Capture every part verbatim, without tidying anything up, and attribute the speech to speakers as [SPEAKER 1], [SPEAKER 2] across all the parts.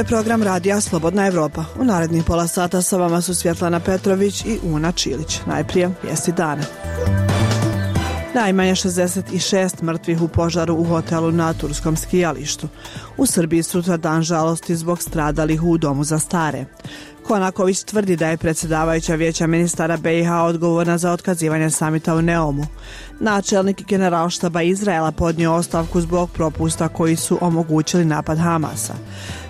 [SPEAKER 1] je program radija Slobodna Evropa. U narednih pola sata sa vama su Svjetlana Petrović i Una Čilić. Najprije vijesti dana. Najmanje šezdeset šest mrtvih u požaru u hotelu na turskom skijalištu. U Srbiji sutra dan žalosti zbog stradalih u domu za stare. Konaković tvrdi da je predsjedavajuća vijeća ministara B i H odgovorna za otkazivanje samita u Neumu. Načelnik generalštaba Izraela podnio ostavku zbog propusta koji su omogućili napad Hamasa.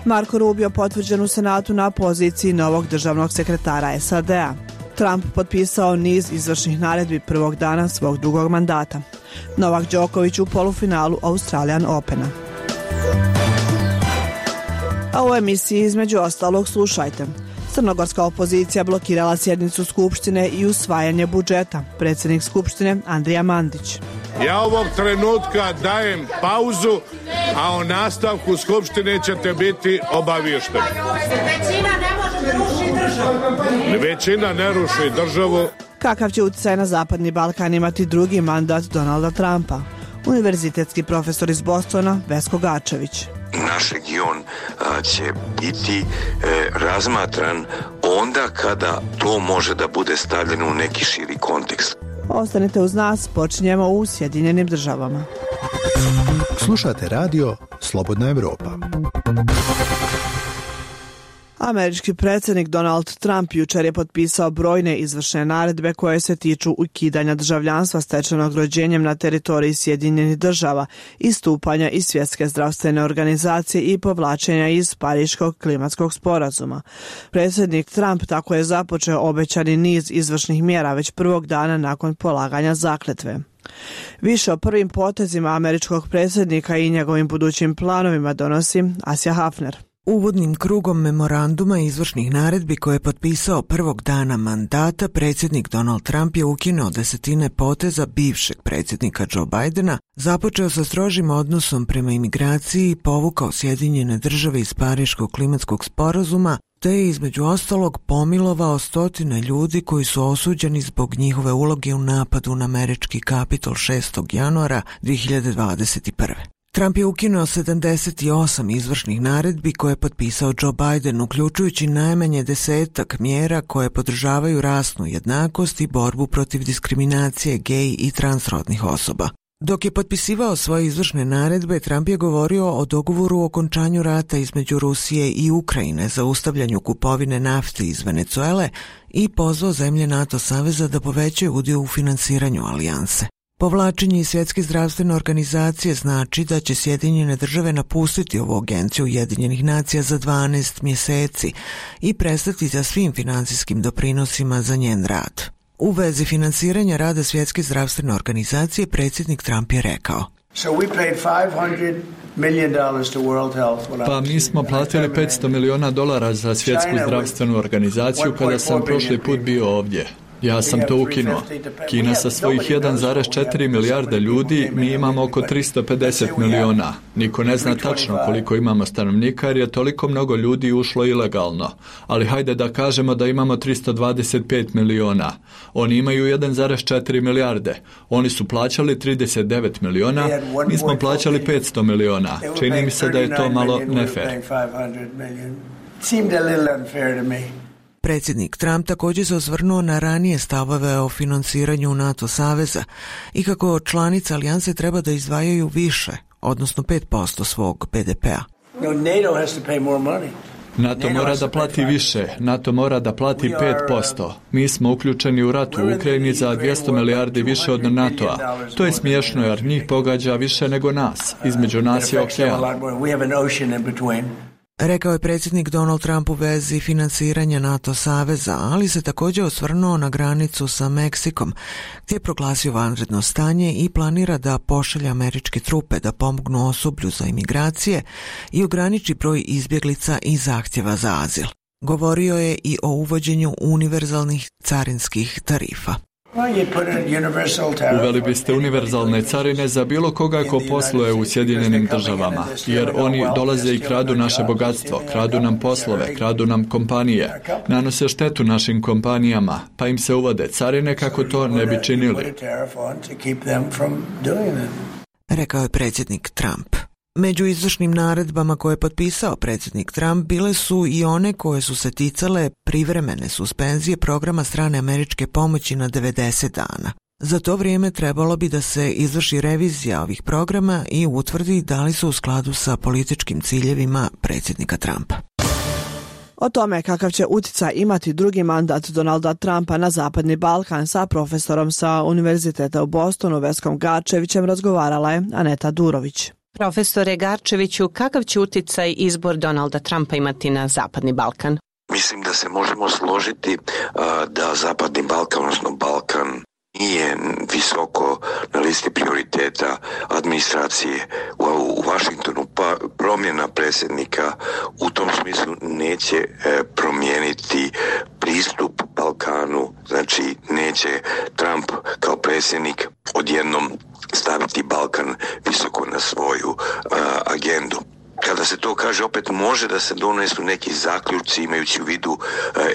[SPEAKER 1] Marko Rubio potvrđen u Senatu na poziciji novog državnog sekretara S A D-a. Trump potpisao niz izvršnih naredbi prvog dana svog drugog mandata. Novak Đoković u polufinalu Australian Opena. A u emisiji između ostalog slušajte. Crnogorska opozicija blokirala sjednicu Skupštine i usvajanje budžeta. Predsjednik Skupštine Andrija Mandić.
[SPEAKER 2] Ja ovog trenutka dajem pauzu, a o nastavku Skupštine ćete biti obavješteni.
[SPEAKER 3] Većina ne može da ruši državu.
[SPEAKER 2] Većina ne ruši državu.
[SPEAKER 1] Kakav će utjecaj na Zapadni Balkan imati drugi mandat Donalda Trumpa? Univerzitetski profesor iz Bostona Vesko Gačević.
[SPEAKER 4] Naš region a, će biti e, razmatran onda kada to može da bude stavljeno u neki širi kontekst.
[SPEAKER 1] Ostanite uz nas, počinjemo u Sjedinjenim državama.
[SPEAKER 5] Slušate radio Slobodna Evropa.
[SPEAKER 1] Američki predsjednik Donald Trump jučer je potpisao brojne izvršne naredbe koje se tiču ukidanja državljanstva stečenog rođenjem na teritoriji Sjedinjenih država, istupanja iz Svjetske zdravstvene organizacije i povlačenja iz Pariškog klimatskog sporazuma. Predsjednik Trump tako je započeo obećani niz izvršnih mjera već prvog dana nakon polaganja zakletve. Više o prvim potezima američkog predsjednika i njegovim budućim planovima donosi Asja Hafner.
[SPEAKER 6] Uvodnim krugom memoranduma izvršnih naredbi koje je potpisao prvog dana mandata, predsjednik Donald Trump je ukinuo desetine poteza bivšeg predsjednika Joe Bidena, započeo sa strožim odnosom prema imigraciji i povukao Sjedinjene države iz Pariškog klimatskog sporazuma, te je između ostalog pomilovao stotine ljudi koji su osuđeni zbog njihove uloge u napadu na američki Kapitol šestog januara dvije hiljade dvadeset prve. Trump je ukinuo sedamdeset osam izvršnih naredbi koje je potpisao Joe Biden, uključujući najmanje desetak mjera koje podržavaju rasnu jednakost i borbu protiv diskriminacije gej i transrodnih osoba. Dok je potpisivao svoje izvršne naredbe, Trump je govorio o dogovoru o okončanju rata između Rusije i Ukrajine, zaustavljanju kupovine nafte iz Venezuele i pozvao zemlje NATO saveza da povećaju udio u finansiranju alijanse. Povlačenje iz Svjetske zdravstvene organizacije znači da će Sjedinjene države napustiti ovu agenciju Ujedinjenih nacija za dvanaest mjeseci i prestati sa svim financijskim doprinosima za njen rad. U vezi finansiranja rada Svjetske zdravstvene organizacije predsjednik Trump je rekao:
[SPEAKER 7] Pa mi smo platili petsto miliona dolara za Svjetsku zdravstvenu organizaciju kada sam prošli put bio ovdje. Ja sam to ukinuo. Kina sa svojih jedan zarez četiri milijarde ljudi, mi imamo oko tristo pedeset miliona. Niko ne zna tačno koliko imamo stanovnika jer je toliko mnogo ljudi ušlo ilegalno. Ali hajde da kažemo da imamo tristo dvadeset pet miliona. Oni imaju jedan zarez četiri milijarde. Oni su plaćali trideset devet miliona, mi smo plaćali petsto miliona. Čini mi se da je to malo nefer.
[SPEAKER 6] Predsjednik Trump također se osvrnuo na ranije stavove o finansiranju NATO saveza i kako članice alijanse treba da izdvajaju više, odnosno pet posto svog B D P-a.
[SPEAKER 7] NATO mora da plati više, NATO mora da plati pet posto. Mi smo uključeni u rat u Ukrajini za dvjesto milijardi više od NATO-a. To je smiješno jer njih pogađa više nego nas. Između nas je okean.
[SPEAKER 6] Rekao je predsjednik Donald Trump u vezi finansiranja NATO saveza, ali se također osvrnuo na granicu sa Meksikom, gdje je proglasio vanredno stanje i planira da pošalje američke trupe da pomognu osoblju za imigracije i ograniči broj izbjeglica i zahtjeva za azil. Govorio je i o uvođenju univerzalnih carinskih tarifa.
[SPEAKER 7] Uveli biste univerzalne carine za bilo koga ko posluje u Sjedinjenim državama, jer oni dolaze i kradu naše bogatstvo, kradu nam poslove, kradu nam kompanije, nanose štetu našim kompanijama, pa im se uvode carine kako to ne bi činili.
[SPEAKER 6] Rekao je predsjednik Trump. Među izvršnim naredbama koje je potpisao predsjednik Trump bile su i one koje su se ticale privremene suspenzije programa strane američke pomoći na devedeset dana. Za to vrijeme trebalo bi da se izvrši revizija ovih programa i utvrdi da li su u skladu sa političkim ciljevima predsjednika Trumpa.
[SPEAKER 1] O tome kakav će utjecaj imati drugi mandat Donalda Trumpa na Zapadni Balkan sa profesorom sa Univerziteta u Bostonu Veskom Garčevićem razgovarala je Aneta Durović.
[SPEAKER 8] Profesore Garčeviću, kakav će utjecaj izbor Donalda Trumpa imati na Zapadni Balkan?
[SPEAKER 4] Mislim da se možemo složiti a, da Zapadni Balkan, odnosno Balkan, nije visoko na listi prioriteta administracije u, u Washingtonu, pa promjena predsjednika u tom smislu neće e, promijeniti pristup Balkanu, znači neće Trump kao predsjednik odjednom staviti Balkan visoko na svoju a, agendu. Kada se to kaže, opet može da se donesu neki zaključci imajući u vidu e, e,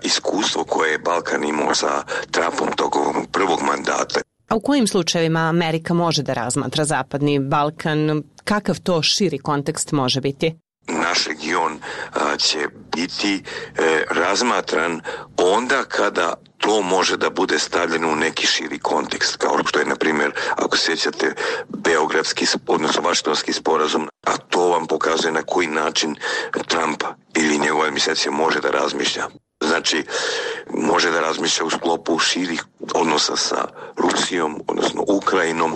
[SPEAKER 4] iskustvo koje je Balkan imao sa Trumpom tokom prvog mandata.
[SPEAKER 8] A u kojim slučajevima Amerika može da razmatra Zapadni Balkan? Kakav to širi kontekst može biti?
[SPEAKER 4] Naš region a, će biti e, razmatran onda kada to može da bude stavljeno u neki širi kontekst, kao što je, na primjer, ako sjećate, Beogradski, odnosno Vašingtonski sporazum, a to vam pokazuje na koji način Trump ili njegova administracija može da razmišlja. Znači, može da razmišlja u sklopu širih odnosa sa Rusijom, odnosno Ukrajinom,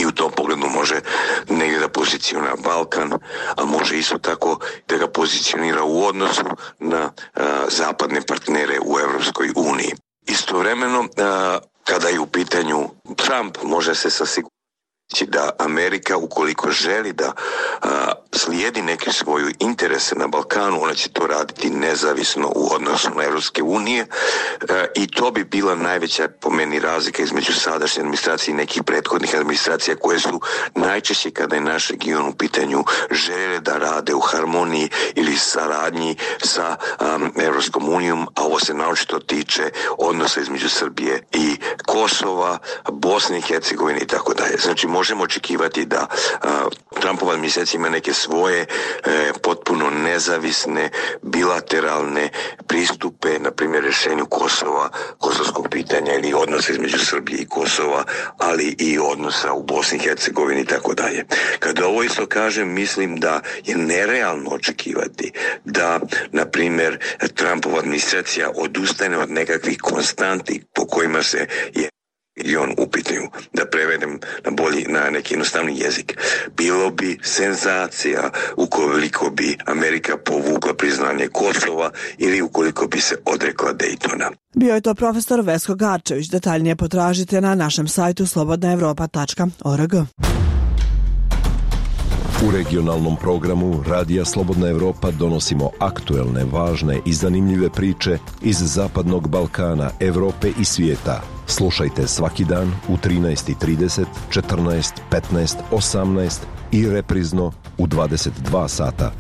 [SPEAKER 4] i u tom pogledu može negdje da pozicionira Balkan, a može isto tako da ga pozicionira u odnosu na a, zapadne partnere u Europskoj uniji. Istovremeno, a, kada je u pitanju Trump, može se sa sigurnošću da Amerika, ukoliko želi da a, slijedi neke svoje interese na Balkanu, ona će to raditi nezavisno u odnosu na Europske unije a, i to bi bila najveća, po meni, razlika između sadašnje administracije i nekih prethodnih administracija koje su najčešće, kada je naš region u pitanju, žele da rade u harmoniji ili saradnji sa um, Europskom unijom, a ovo se naročito tiče odnosa između Srbije i Kosova, Bosne i Hercegovine i tako dalje. Znači, možemo očekivati da uh, Trumpova administracija ima neke svoje e, potpuno nezavisne bilateralne pristupe, na primjer rješenju Kosova, kosovskog pitanja ili odnosa između Srbije i Kosova, ali i odnosa u Bosni i Hercegovini i tako dalje. Kada ovo isto kažem, mislim da je nerealno očekivati da, na primjer, Trumpova administracija odustane od nekakvih konstanti po kojima se je i on u pitanju, da prevedem na bolji, na neki jednostavni jezik. Bilo bi senzacija ukoliko bi Amerika povukla priznanje Kosova ili ukoliko bi se odrekla Daytona.
[SPEAKER 1] Bio je to profesor Vesko Garčević. Detaljnije potražite na našem sajtu slobodna evropa tačka org.
[SPEAKER 9] U regionalnom programu Radija Slobodna Evropa donosimo aktuelne, važne i zanimljive priče iz Zapadnog Balkana, Evrope i svijeta. Slušajte svaki dan u trinaest i trideset, četrnaest, petnaest, osamnaest i reprizno u dvadeset dva sata.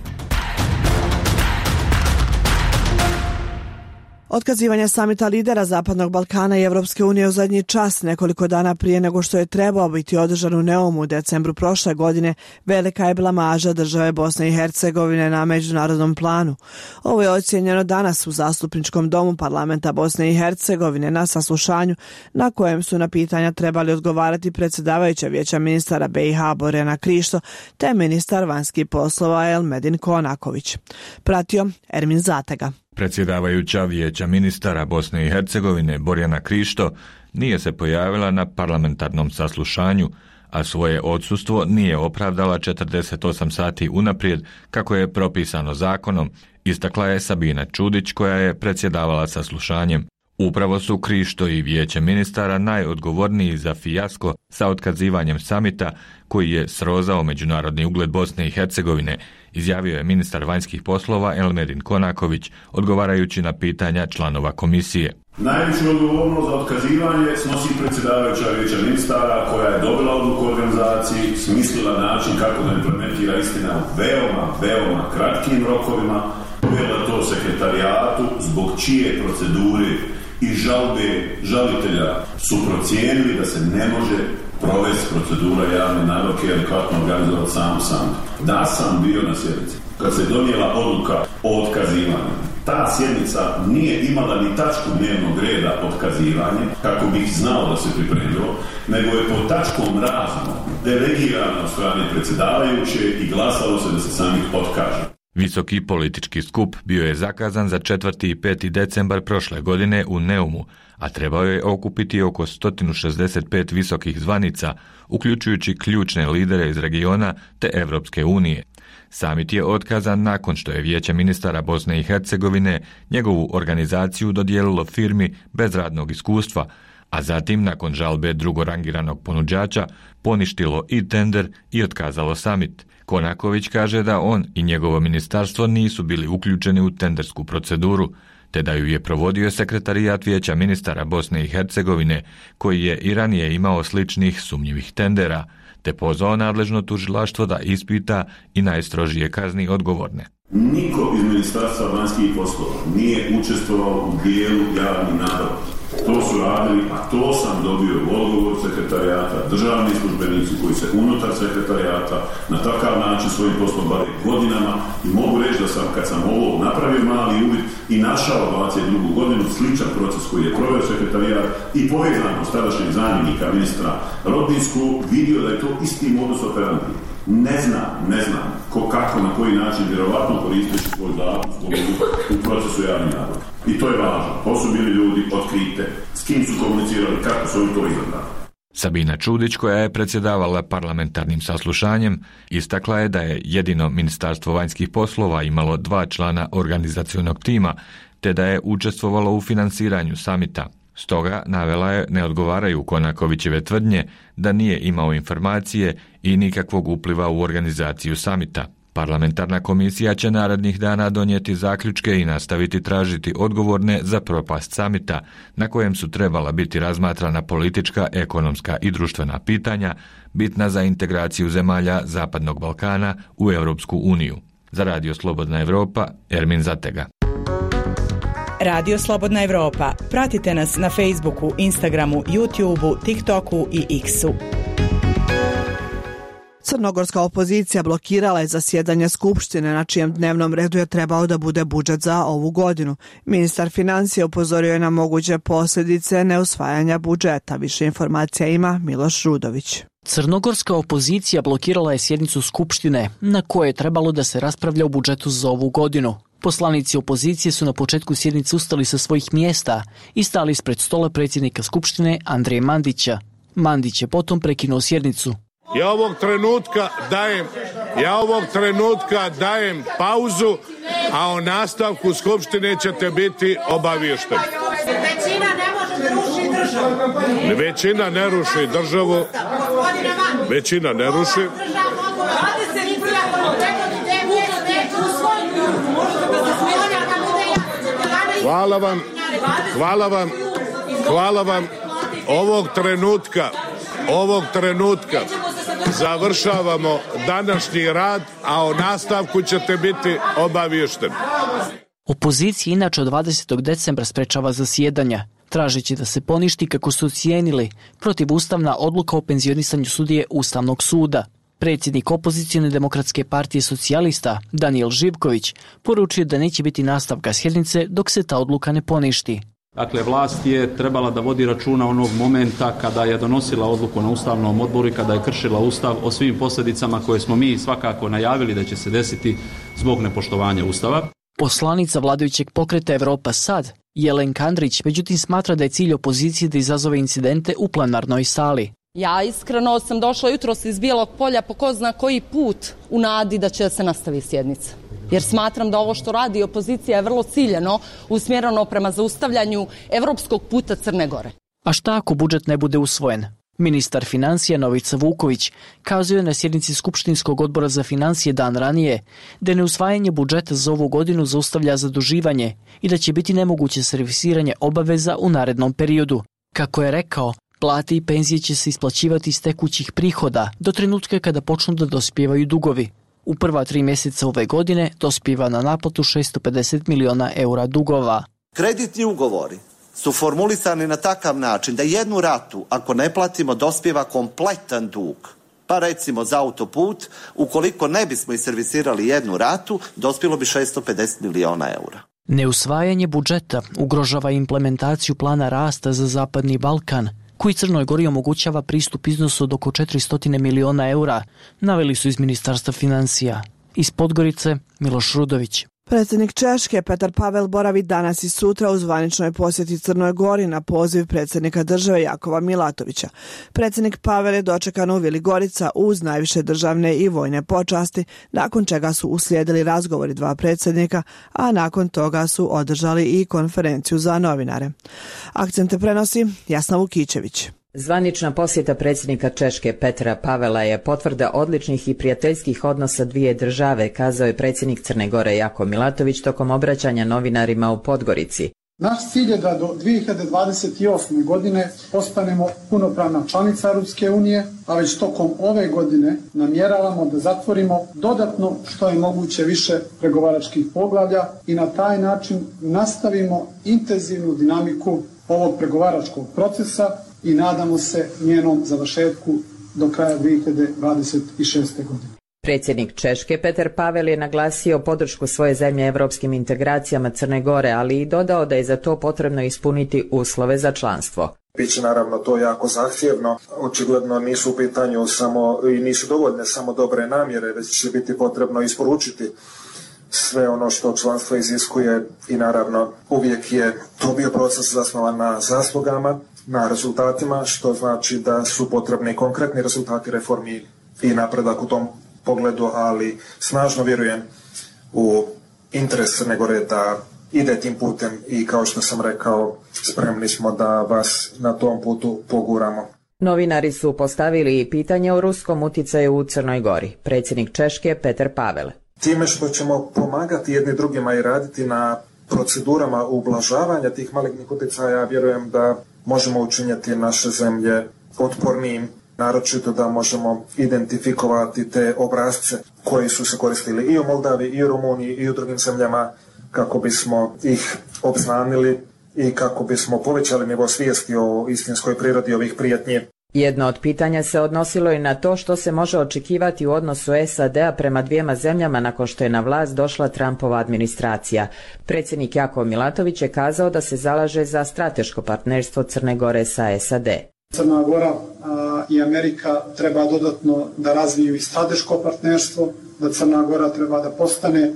[SPEAKER 1] Otkazivanje samita lidera Zapadnog Balkana i Evropske unije u zadnji čas, nekoliko dana prije nego što je trebao biti održan u Neumu u decembru prošle godine, velika je blamaža države Bosne i Hercegovine na međunarodnom planu. Ovo je ocijenjeno danas u Zastupničkom domu parlamenta Bosne i Hercegovine na saslušanju na kojem su na pitanja trebali odgovarati predsjedavajuća vijeća ministara B i H Borjana Krišto te ministar vanjskih poslova Elmedin Konaković. Pratio Ermin Zatega.
[SPEAKER 10] Predsjedavajuća vijeća ministara Bosne i Hercegovine Borjana Krišto nije se pojavila na parlamentarnom saslušanju, a svoje odsustvo nije opravdala četrdeset osam sati unaprijed kako je propisano zakonom, istakla je Sabina Čudić koja je predsjedavala saslušanjem. Upravo su Krišto i vijeće ministara najodgovorniji za fijasko sa otkazivanjem samita koji je srozao međunarodni ugled Bosne i Hercegovine, izjavio je ministar vanjskih poslova Elmedin Konaković odgovarajući na pitanja članova komisije.
[SPEAKER 11] Najveću odgovornost za otkazivanje snosi predsjedavajuća vijeća ministara koja je dobila odluku o organizaciji, smislila način kako da implementira istina u veoma, veoma kratkim rokovima, uvela to sekretarijatu zbog čije procedure i žalbe žalitelja su procijenili da se ne može provesti procedura javne nabavke i adekvatno organizovati samu sam. Da sam bio na sjednici kad se donijela odluka o otkazivanju. Ta sjednica nije imala ni tačku dnevnog reda otkazivanje, kako bih znao da se pripremilo, nego je pod tačkom razno delegirano od strane predsjedavajuće i glasalo se da se samih otkaže.
[SPEAKER 10] Visoki politički skup bio je zakazan za četvrti i peti decembar prošle godine u Neumu, a trebao je okupiti oko sto šezdeset pet visokih zvanica, uključujući ključne lidere iz regiona te Evropske unije. Samit je otkazan nakon što je Vijeće ministara Bosne i Hercegovine njegovu organizaciju dodijelilo firmi bez radnog iskustva, a zatim nakon žalbe drugorangiranog ponuđača poništilo i tender i otkazalo samit. Konaković kaže da on i njegovo ministarstvo nisu bili uključeni u tendersku proceduru, te da ju je provodio sekretarijat Vijeća ministara Bosne i Hercegovine, koji je i ranije imao sličnih sumnjivih tendera, te pozvao nadležno tužilaštvo da ispita i najstrožije kazni odgovorne.
[SPEAKER 11] Niko iz Ministarstva vanjskih poslova nije učestvovao u dijelu javnih nabavki. To su radili, a to sam dobio odgovor sekretarijata, državni službenici koji se unutar sekretarijata na takav način svojim poslom bave godinama i mogu reći da sam, kad sam ovo napravio mali uvid i našao dvadeset drugu godinu sličan proces koji je proveo sekretarijat i povezano s tadašnjeg zamjenika ministra Rodinsku, vidio da je to isti modus operandi. Ne znam, ne znam ko, kako, na koji način vjerovatno koristeći svoj zakon u procesu javnih nabavki. I to je važno. To su bili ljudi otkrite, s kim su komunicirali, kako su oni to izabrali.
[SPEAKER 10] Sabina Čudić, koja je predsjedavala parlamentarnim saslušanjem, istakla je da je jedino Ministarstvo vanjskih poslova imalo dva člana organizacionog tima, te da je učestvovalo u finansiranju samita. Stoga navela je ne odgovaraju Konakovićeve tvrdnje da nije imao informacije i nikakvog upliva u organizaciju samita. Parlamentarna komisija će narednih dana donijeti zaključke i nastaviti tražiti odgovorne za propast samita, na kojem su trebala biti razmatrana politička, ekonomska i društvena pitanja, bitna za integraciju zemalja Zapadnog Balkana u Europsku uniju. Za Radio Slobodna Evropa, Ermin Zatega.
[SPEAKER 12] Radio Slobodna Evropa. Pratite nas na Facebooku, Instagramu, YouTubeu, TikToku i X-u.
[SPEAKER 1] Crnogorska opozicija blokirala je zasjedanje Skupštine, na čijem dnevnom redu je trebao da bude budžet za ovu godinu. Ministar financija upozorio je na moguće posljedice neusvajanja budžeta. Više informacija ima Miloš Rudović.
[SPEAKER 13] Crnogorska opozicija blokirala je sjednicu Skupštine, na kojoj je trebalo da se raspravlja o budžetu za ovu godinu. Poslanici opozicije su na početku sjednice ustali sa svojih mjesta i stali ispred stola predsjednika Skupštine Andreja Mandića. Mandić je potom prekinuo sjednicu.
[SPEAKER 2] Ja ovog trenutka dajem, ja ovog trenutka dajem pauzu, a o nastavku Skupštine ćete biti obavješteni.
[SPEAKER 3] Većina ne može da ruši državu.
[SPEAKER 2] Većina ne ruši državu. Većina ne ruši. Hvala vam, hvala vam, hvala vam. Ovog trenutka, ovog trenutka završavamo današnji rad, a o nastavku ćete biti obavješteni.
[SPEAKER 13] Opozicija inače od dvadesetog decembra sprečava zasjedanja, tražeći da se poništi, kako su ocijenili, protivustavna odluka o penzionisanju sudije Ustavnog suda. Predsjednik opozicione demokratske partije socijalista Danijel Živković poručio da neće biti nastavka sjednice dok se ta odluka ne poništi.
[SPEAKER 14] Dakle, vlast je trebala da vodi računa onog momenta kada je donosila odluku na Ustavnom odboru i kada je kršila Ustav o svim posljedicama koje smo mi svakako najavili da će se desiti zbog nepoštovanja Ustava.
[SPEAKER 13] Poslanica vladajućeg pokreta Evropa sad, Jelenka Andrić, međutim smatra da je cilj opozicije da izazove incidente u plenarnoj sali.
[SPEAKER 15] Ja iskreno sam došla jutros iz Bijelog polja po ko zna koji put u nadi da će se nastaviti sjednica. Jer smatram da ovo što radi opozicija je vrlo ciljeno usmjereno prema zaustavljanju evropskog puta Crne Gore.
[SPEAKER 13] A šta ako budžet ne bude usvojen? Ministar financija Novica Vuković kazuje na sjednici Skupštinskog odbora za financije dan ranije da neusvajanje budžeta za ovu godinu zaustavlja zaduživanje i da će biti nemoguće servisiranje obaveza u narednom periodu. Kako je rekao, plate i penzije će se isplaćivati iz tekućih prihoda do trenutka kada počnu da dospijevaju dugovi. U prva tri mjeseca ove godine dospijeva na naplatu šesto pedeset miliona eura dugova.
[SPEAKER 16] Kreditni ugovori su formulisani na takav način da jednu ratu, ako ne platimo, dospijeva kompletan dug. Pa recimo za autoput, ukoliko ne bismo iservisirali jednu ratu, dospjelo bi šesto pedeset miliona eura.
[SPEAKER 13] Neusvajanje budžeta ugrožava implementaciju plana rasta za Zapadni Balkan, koji Crnoj Gori omogućava pristup iznosu od oko četiristo miliona eura, naveli su iz Ministarstva financija. Iz Podgorice, Miloš Rudović.
[SPEAKER 1] Predsjednik Češke Petar Pavel boravi danas i sutra u zvaničnoj posjeti Crnoj Gori na poziv predsjednika države Jakova Milatovića. Predsjednik Pavel je dočekan u Vili Gorica uz najviše državne i vojne počasti, nakon čega su uslijedili razgovori dva predsjednika, a nakon toga su održali i konferenciju za novinare. Akcente prenosi Jasna Vukićević.
[SPEAKER 17] Zvanična posjeta predsjednika Češke Petra Pavela je potvrda odličnih i prijateljskih odnosa dvije države, kazao je predsjednik Crne Gore Jako Milatović tokom obraćanja novinarima u Podgorici.
[SPEAKER 18] Naš cilj je da do dvije hiljade dvadeset osme. godine postanemo punopravna članica Europske unije, a već tokom ove godine namjeravamo da zatvorimo dodatno što je moguće više pregovaračkih poglavlja i na taj način nastavimo intenzivnu dinamiku ovog pregovaračkog procesa i nadamo se njenom završetku do kraja dvije hiljade dvadeset šeste. godine.
[SPEAKER 17] Predsjednik Češke Petar Pavel je naglasio podršku svoje zemlje evropskim integracijama Crne Gore, ali i dodao da je za to potrebno ispuniti uslove za članstvo.
[SPEAKER 19] Biće naravno to jako zahtjevno, očigledno nisu u pitanju samo i nisu dovoljne samo dobre namjere, već će biti potrebno isporučiti sve ono što članstvo iziskuje i naravno uvijek je to bio proces zasnovan na zaslugama, na rezultatima, što znači da su potrebni konkretni rezultati reformi i napredak u tom pogledu, ali snažno vjerujem u interes Crne Gore da ide tim putem i kao što sam rekao, spremni smo da vas na tom putu poguramo.
[SPEAKER 17] Novinari su postavili i pitanje o ruskom uticaju u Crnoj Gori. Predsjednik Češke Petar Pavel.
[SPEAKER 19] Time što ćemo pomagati jedni drugima i raditi na procedurama ublažavanja tih malignih utjecaja, vjerujem da možemo učiniti naše zemlje otpornijim, naročito da možemo identifikovati te obrasce koji su se koristili i u Moldavi, i u Rumuniji, i u drugim zemljama kako bismo ih obznanili i kako bismo povećali nivo svijesti o istinskoj prirodi ovih prijetnji.
[SPEAKER 17] Jedno od pitanja se odnosilo i na to što se može očekivati u odnosu S A D-a prema dvijema zemljama nakon što je na vlast došla Trumpova administracija. Predsjednik Jakov Milatović je kazao da se zalaže za strateško partnerstvo Crne Gore sa S A D.
[SPEAKER 18] Crna Gora a, i Amerika treba dodatno da razviju i strateško partnerstvo, da Crna Gora treba da postane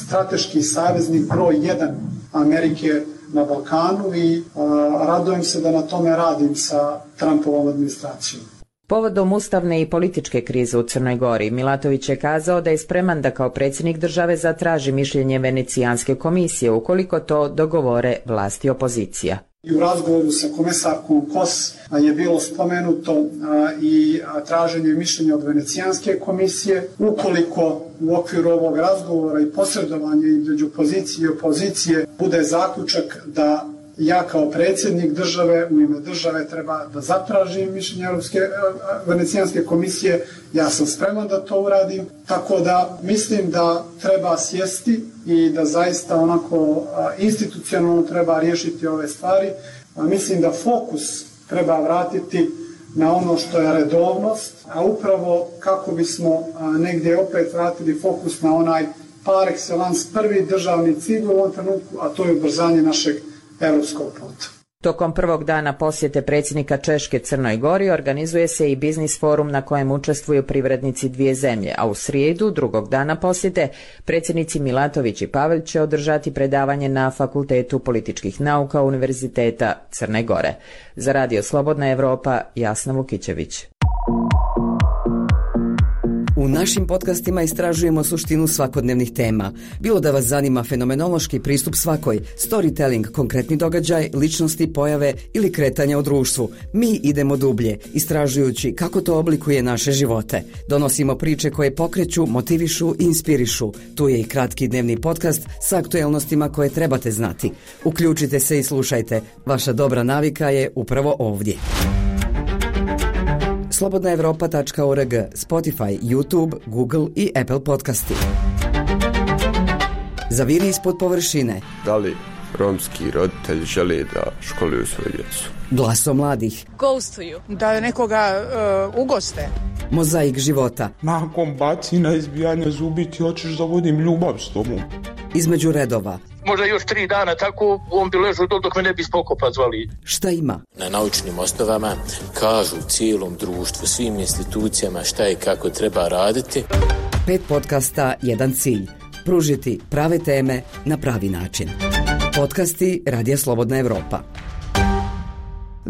[SPEAKER 18] strateški saveznik broj jedan Amerike na Balkanu i a, radujem se da na tome radim sa Trumpovom administracijom.
[SPEAKER 17] Povodom ustavne i političke krize u Crnoj Gori, Milatović je kazao da je spreman da kao predsjednik države zatraži mišljenje Venecijanske komisije ukoliko to dogovore vlast i opozicija.
[SPEAKER 18] I u razgovoru sa komesarkom Kos je bilo spomenuto a, i a, traženje mišljenja od Venecijanske komisije. Ukoliko u okviru ovog razgovora i posredovanja između pozicije i opozicije bude zaključak da ja kao predsjednik države u ime države treba da zatražim mišljenje Europske Venecijanske komisije, ja sam spreman da to uradim, tako da mislim da treba sjesti i da zaista onako institucionalno treba riješiti ove stvari. Mislim da fokus treba vratiti na ono što je redovnost, a upravo kako bismo negdje opet vratili fokus na onaj par excellence prvi državni cilj u ovom trenutku, a to je ubrzanje našeg europskog puta.
[SPEAKER 17] Tokom prvog dana posjete predsjednika Češke Crnoj Gori organizuje se i biznis forum na kojem učestvuju privrednici dvije zemlje, a u srijedu, drugog dana posjete, predsjednici Milatović i Pavel će održati predavanje na Fakultetu političkih nauka Univerziteta Crne Gore. Za Radio Slobodna Evropa, Jasna Vukićević.
[SPEAKER 20] U našim podcastima istražujemo suštinu svakodnevnih tema. Bilo da vas zanima fenomenološki pristup svakoj, storytelling, konkretni događaj, ličnosti, pojave ili kretanja u društvu. Mi idemo dublje, istražujući kako to oblikuje naše živote. Donosimo priče koje pokreću, motivišu i inspirišu. Tu je i kratki dnevni podcast sa aktuelnostima koje trebate znati. Uključite se i slušajte. Vaša dobra navika je upravo ovdje. slobodna evropa tačka org, Spotify, YouTube, Google i Apple podcasti. Zaviri ispod površine.
[SPEAKER 21] Da li romski roditelji žele da školuju svoju djecu.
[SPEAKER 20] Glaso mladih.
[SPEAKER 22] Gostuju. Da nekoga uh, ugoste.
[SPEAKER 20] Mozaik života.
[SPEAKER 23] Nakon bacina, izbijanja zubi ti hoćeš da vodim ljubav s tobom.
[SPEAKER 20] Između redova.
[SPEAKER 24] Možda još tri dana tako on bi ležao dok me ne bi spokopa zvali.
[SPEAKER 20] Šta ima?
[SPEAKER 25] Na naučnim osnovama kažu cijelom društvu, svim institucijama šta i kako treba raditi.
[SPEAKER 20] Pet podcasta, jedan cilj. Pružiti prave teme na pravi način. Podcasti Radija Slobodna Evropa.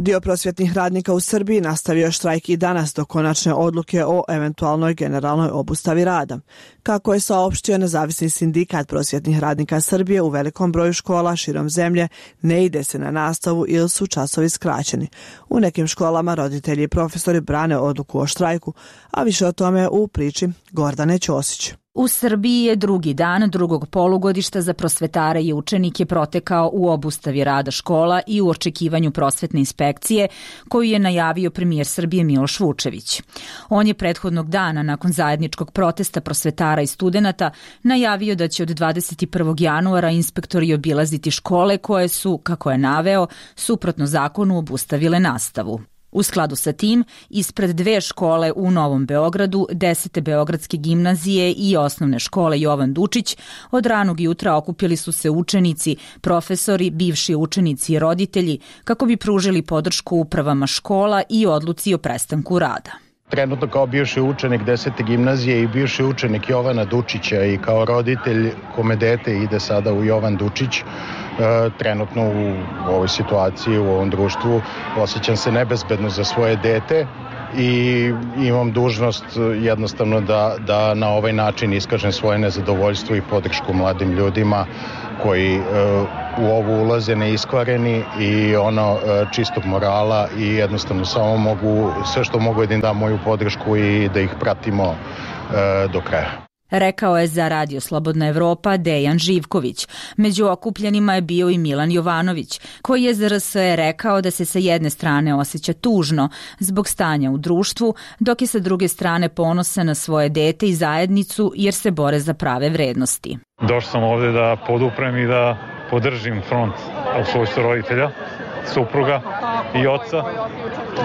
[SPEAKER 1] Dio prosvjetnih radnika u Srbiji nastavio štrajk i danas do konačne odluke o eventualnoj generalnoj obustavi rada. Kako je saopštio Nezavisni sindikat prosvjetnih radnika Srbije, u velikom broju škola širom zemlje ne ide se na nastavu ili su časovi skraćeni. U nekim školama roditelji i profesori brane odluku o štrajku, a više o tome u priči Gordane Ćosić.
[SPEAKER 26] U Srbiji je drugi dan drugog polugodišta za prosvetare i učenike protekao u obustavi rada škola i u očekivanju prosvetne inspekcije koju je najavio premijer Srbije Miloš Vučević. On je prethodnog dana nakon zajedničkog protesta prosvetara i studenata najavio da će od dvadeset prvog januara inspektori obilaziti škole koje su, kako je naveo, suprotno zakonu obustavile nastavu. U skladu sa tim, ispred dve škole u Novom Beogradu, desete Beogradske gimnazije i osnovne škole Jovan Dučić, od ranog jutra okupili su se učenici, profesori, bivši učenici i roditelji kako bi pružili podršku upravama škola i odluci o prestanku rada.
[SPEAKER 27] Trenutno kao bivši učenik desete gimnazije i bivši učenik Jovana Dučića i kao roditelj kome dete ide sada u Jovan Dučić, trenutno u ovoj situaciji, u ovom društvu, osjećam se nebezbedno za svoje dete i imam dužnost jednostavno da, da na ovaj način iskažem svoje nezadovoljstvo i podršku mladim ljudima koji uh, u ovo ulaze neiskvareni i ono uh, čistog morala i jednostavno samo mogu, sve što mogu je da im dam moju podršku i da ih pratimo uh, do kraja.
[SPEAKER 26] Rekao je za Radio Slobodna Evropa Dejan Živković. Među okupljenima je bio i Milan Jovanović, koji je za R S E rekao da se sa jedne strane osjeća tužno zbog stanja u društvu, dok je sa druge strane ponosan na svoje dete i zajednicu jer se bore za prave vrednosti.
[SPEAKER 28] Došao sam ovdje da poduprem i da podržim front u svojstvu roditelja, supruga i oca,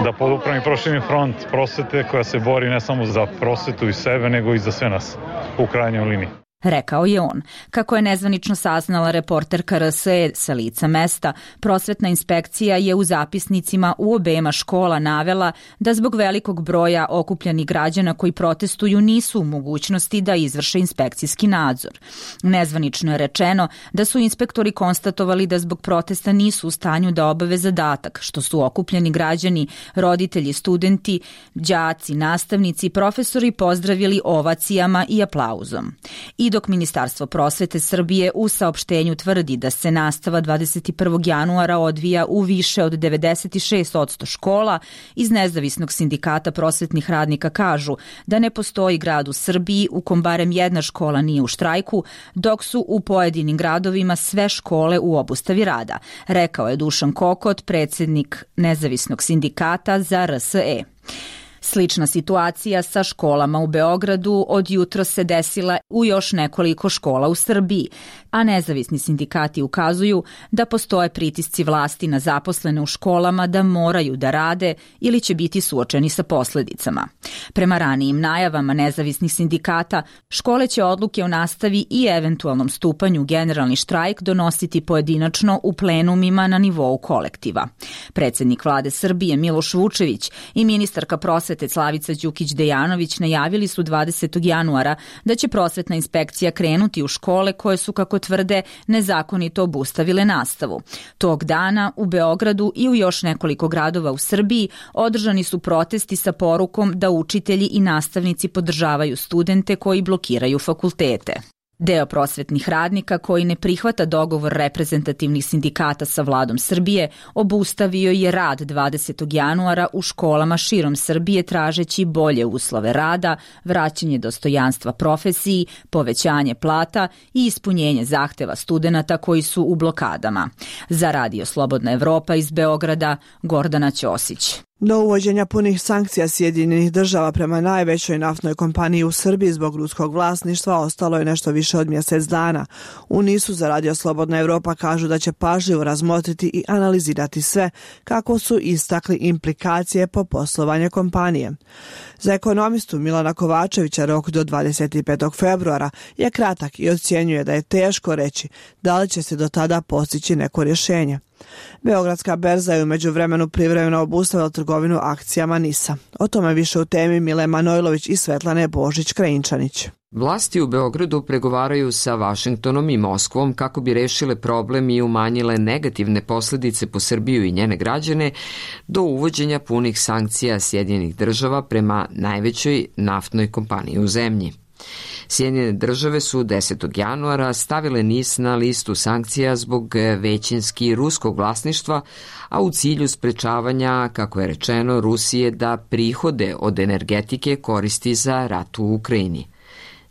[SPEAKER 28] da poduprem i proširim front prosvete koja se bori ne samo za prosvetu i sebe, nego i za sve nas u krajnjoj liniji.
[SPEAKER 26] Rekao je on. Kako je nezvanično saznala reporterka R S E sa lica mesta, prosvetna inspekcija je u zapisnicima u obema škola navela da zbog velikog broja okupljenih građana koji protestuju nisu u mogućnosti da izvrše inspekcijski nadzor. Nezvanično je rečeno da su inspektori konstatovali da zbog protesta nisu u stanju da obave zadatak, što su okupljeni građani, roditelji, studenti, đaci, nastavnici i profesori pozdravili ovacijama i aplauzom. I dok Ministarstvo prosvete Srbije u saopštenju tvrdi da se nastava dvadeset prvog januara odvija u više od devedeset šest posto škola, iz Nezavisnog sindikata prosvetnih radnika kažu da ne postoji grad u Srbiji u kom barem jedna škola nije u štrajku, dok su u pojedinim gradovima sve škole u obustavi rada, rekao je Dušan Kokot, predsjednik Nezavisnog sindikata za R S E. Slična situacija sa školama u Beogradu od jutro se desila u još nekoliko škola u Srbiji, a nezavisni sindikati ukazuju da postoje pritisci vlasti na zaposlene u školama da moraju da rade ili će biti suočeni sa posledicama. Prema ranijim najavama nezavisnih sindikata, škole će odluke o nastavi i eventualnom stupanju u generalni štrajk donositi pojedinačno u plenumima na nivou kolektiva. Predsjednik vlade Srbije Miloš Vučević i ministarka prosvete Slavica Đukić-Dejanović najavili su dvadesetog januara da će prosvetna inspekcija krenuti u škole koje su, kako tvrde, nezakonito obustavile nastavu. Tog dana u Beogradu i u još nekoliko gradova u Srbiji održani su protesti sa porukom da učitelji i nastavnici podržavaju studente koji blokiraju fakultete. Deo prosvetnih radnika koji ne prihvata dogovor reprezentativnih sindikata sa vladom Srbije obustavio je rad dvadesetog januara u školama širom Srbije tražeći bolje uslove rada, vraćanje dostojanstva profesiji, povećanje plata i ispunjenje zahteva studenata koji su u blokadama. Za Radio Slobodna Evropa iz Beograda, Gordana Ćosić.
[SPEAKER 1] Do uvođenja punih sankcija Sjedinjenih država prema najvećoj naftnoj kompaniji u Srbiji zbog ruskog vlasništva ostalo je nešto više od mjesec dana. U NIS-u za Radio Slobodna Evropa kažu da će pažljivo razmotriti i analizirati sve, kako su istakli implikacije po poslovanje kompanije. Za ekonomistu Milana Kovačevića rok do dvadeset petog februara je kratak i ocjenjuje da je teško reći da li će se do tada postići neko rješenje. Beogradska berza je u međuvremenu privremeno obustavila trgovinu akcijama NIS-a. O tome više u temi Mile Manojlović i Svetlane Božić-Krajinčanić.
[SPEAKER 4] Vlasti u Beogradu pregovaraju sa Vašingtonom i Moskvom kako bi rešile problem i umanjile negativne posljedice po Srbiju i njene građane do uvođenja punih sankcija Sjedinjenih država prema najvećoj naftnoj kompaniji u zemlji. Sjedinjene države su desetog januara stavile NIS na listu sankcija zbog većinski ruskog vlasništva, a u cilju sprečavanja, kako je rečeno, Rusije da prihode od energetike koristi za rat u Ukrajini.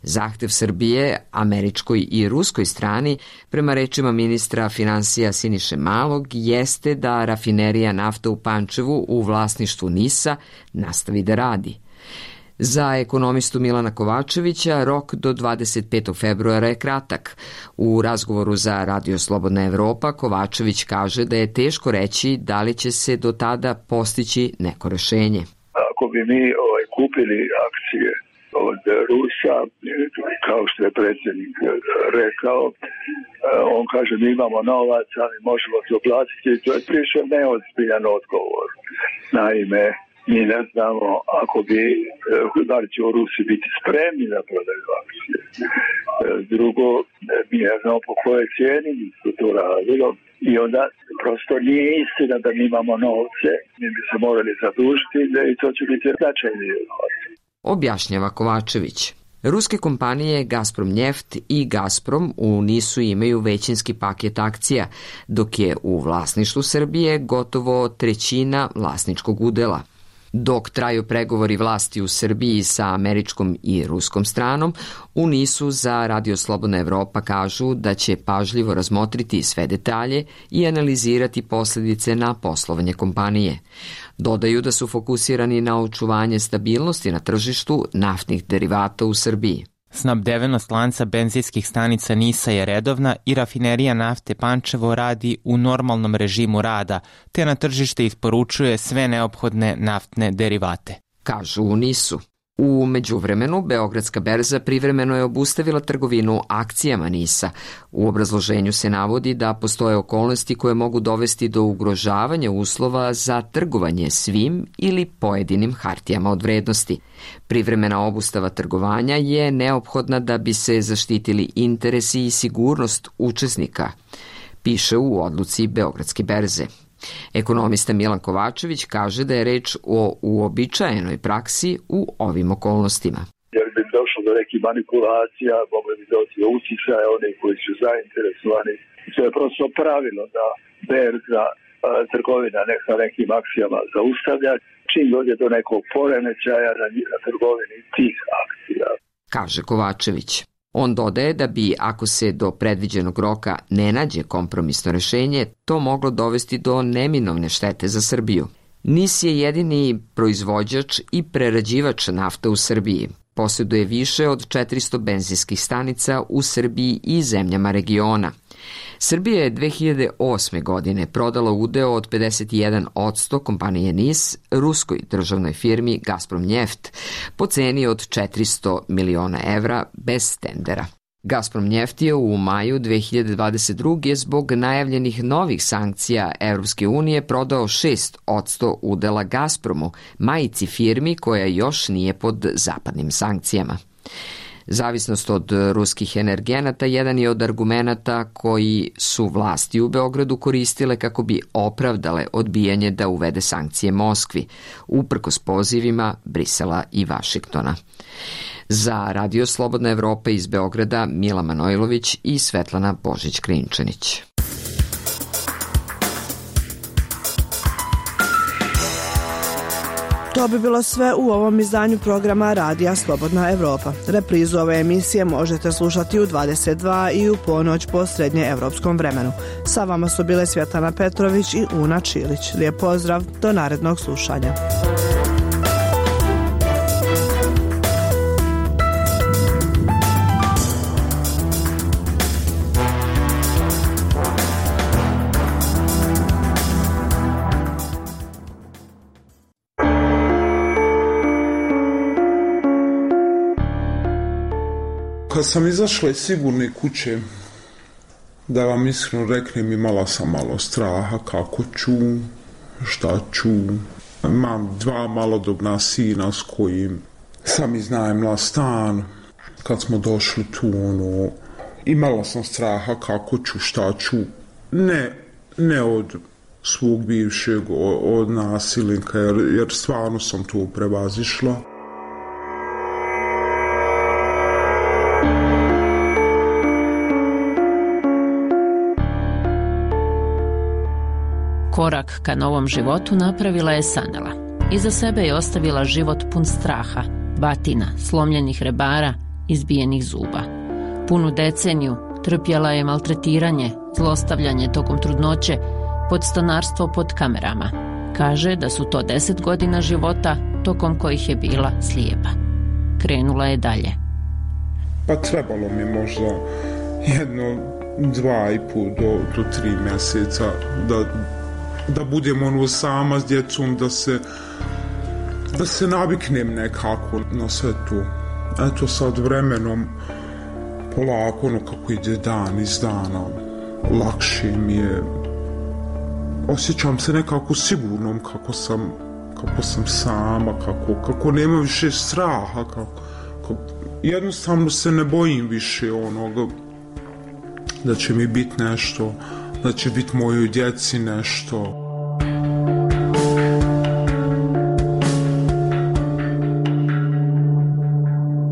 [SPEAKER 4] Zahtev Srbije, američkoj i ruskoj strani, prema rečima ministra finansija Siniše Malog, jeste da rafinerija nafta u Pančevu u vlasništvu NIS-a nastavi da radi. Za ekonomistu Milana Kovačevića rok do dvadeset petog februara je kratak. U razgovoru za Radio Slobodna Evropa Kovačević kaže da je teško reći da li će se do tada postići neko rešenje.
[SPEAKER 5] Ako bi mi ovaj, kupili akcije od Rusa, kao što je predsjednik rekao, on kaže mi imamo novac, ali možemo se oplatiti. To je priše neozbiljan odgovor. Naime, mi ne znamo ako bi, da li će u Rusi biti spremni da prodaju akcije. Drugo, mi ne znamo po kojoj cijeni su to radilo i onda prosto nije istina da mi imamo novce, mi bi se morali zadužiti i to će biti značajni novac.
[SPEAKER 4] Objašnjava Kovačević. Ruske kompanije Gazprom Njeft i Gazprom u NIS-u imaju većinski paket akcija, dok je u vlasništvu Srbije gotovo trećina vlasničkog udela. Dok traju pregovori vlasti u Srbiji sa američkom i ruskom stranom, u NIS-u za Radio Slobodna Evropa kažu da će pažljivo razmotriti sve detalje i analizirati posljedice na poslovanje kompanije. Dodaju da su fokusirani na očuvanje stabilnosti na tržištu naftnih derivata u Srbiji.
[SPEAKER 6] Snabdevenost lanca benzinskih stanica NIS-a je redovna i rafinerija nafte Pančevo radi u normalnom režimu rada, te na tržište isporučuje sve neophodne naftne derivate.
[SPEAKER 4] Kažu u NIS-u. U međuvremenu, Beogradska berza privremeno je obustavila trgovinu akcijama NIS-a. U obrazloženju se navodi da postoje okolnosti koje mogu dovesti do ugrožavanja uslova za trgovanje svim ili pojedinim hartijama od vrednosti. Privremena obustava trgovanja je neophodna da bi se zaštitili interesi i sigurnost učesnika, piše u odluci Beogradske berze. Ekonomista Milan Kovačević kaže da je reč o uobičajenoj praksi u ovim okolnostima.
[SPEAKER 5] Jer bi došlo do nekih manipulacija, mogli bi doći do uticaja onih koji su zainteresovani. To je prosto pravilo da berza trgovina sa nekim akcijama zaustavlja, čim dođe do nekog poremećaja na, na trgovini tih akcija.
[SPEAKER 4] Kaže Kovačević. On dodaje da bi, ako se do predviđenog roka ne nađe kompromisno rešenje, to moglo dovesti do neminovne štete za Srbiju. NIS je jedini proizvođač i prerađivač nafta u Srbiji. Posjeduje više od četiristo benzinskih stanica u Srbiji i zemljama regiona. Srbija je dve hiljade osme. godine prodala udeo od pedeset jedan posto kompanije NIS ruskoj državnoj firmi Gazprom Njeft po ceni od četiristo miliona evra bez tendera. Gazprom Njeft je u maju dve hiljade dvadeset druge. zbog najavljenih novih sankcija Evropske unije prodao šest posto udela Gazpromu, majici firmi koja još nije pod zapadnim sankcijama. Zavisnost od ruskih energenata jedan je od argumenata koji su vlasti u Beogradu koristile kako bi opravdale odbijanje da uvede sankcije Moskvi, uprkos pozivima Brisela i Vašingtona. Za Radio Slobodna Evropa iz Beograda Mila Manojlović i Svetlana Božić-Krajinčanić.
[SPEAKER 1] To bi bilo sve u ovom izdanju programa Radija Slobodna Evropa. Reprizu ove emisije možete slušati u dvadeset dva i u ponoć po srednjeevropskom vremenu. Sa vama su bile Svjetlana Petrović i Una Čilić. Lijep pozdrav, do narednog slušanja.
[SPEAKER 23] Kad sam izašla iz sigurne kuće, da vam iskreno reknem, imala sam malo straha kako ću, šta ću. Imam dva malodobna sina s kojim sam iznajmila stan. Kad smo došli tu, ono, imala sam straha kako ću, šta ću. Ne, ne od svog bivšeg, od nasilnika, jer, jer stvarno sam to prevazišla.
[SPEAKER 2] Korak ka novom životu napravila je Sanela. Iza sebe je ostavila život pun straha, batina, slomljenih rebara, izbijenih zuba. Punu deceniju trpjela je maltretiranje, zlostavljanje tokom trudnoće, podstanarstvo pod kamerama. Kaže da su to deset godina života tokom kojih je bila slijepa. Krenula je dalje.
[SPEAKER 23] Pa trebalo mi možda jedno, dva i pol do, do tri mjeseca da da budem ono sama s djecom, da se da se naviknem nekako na sve to. Eto sad vremenom polako, ono kako ide dan iz dana, lakše mi je, osjećam se nekako sigurnom kako sam kako sam sama, kako, kako nema više straha, kako, kako, jednostavno se ne bojim više onoga da će mi biti nešto, da će biti mojoj djeci nešto.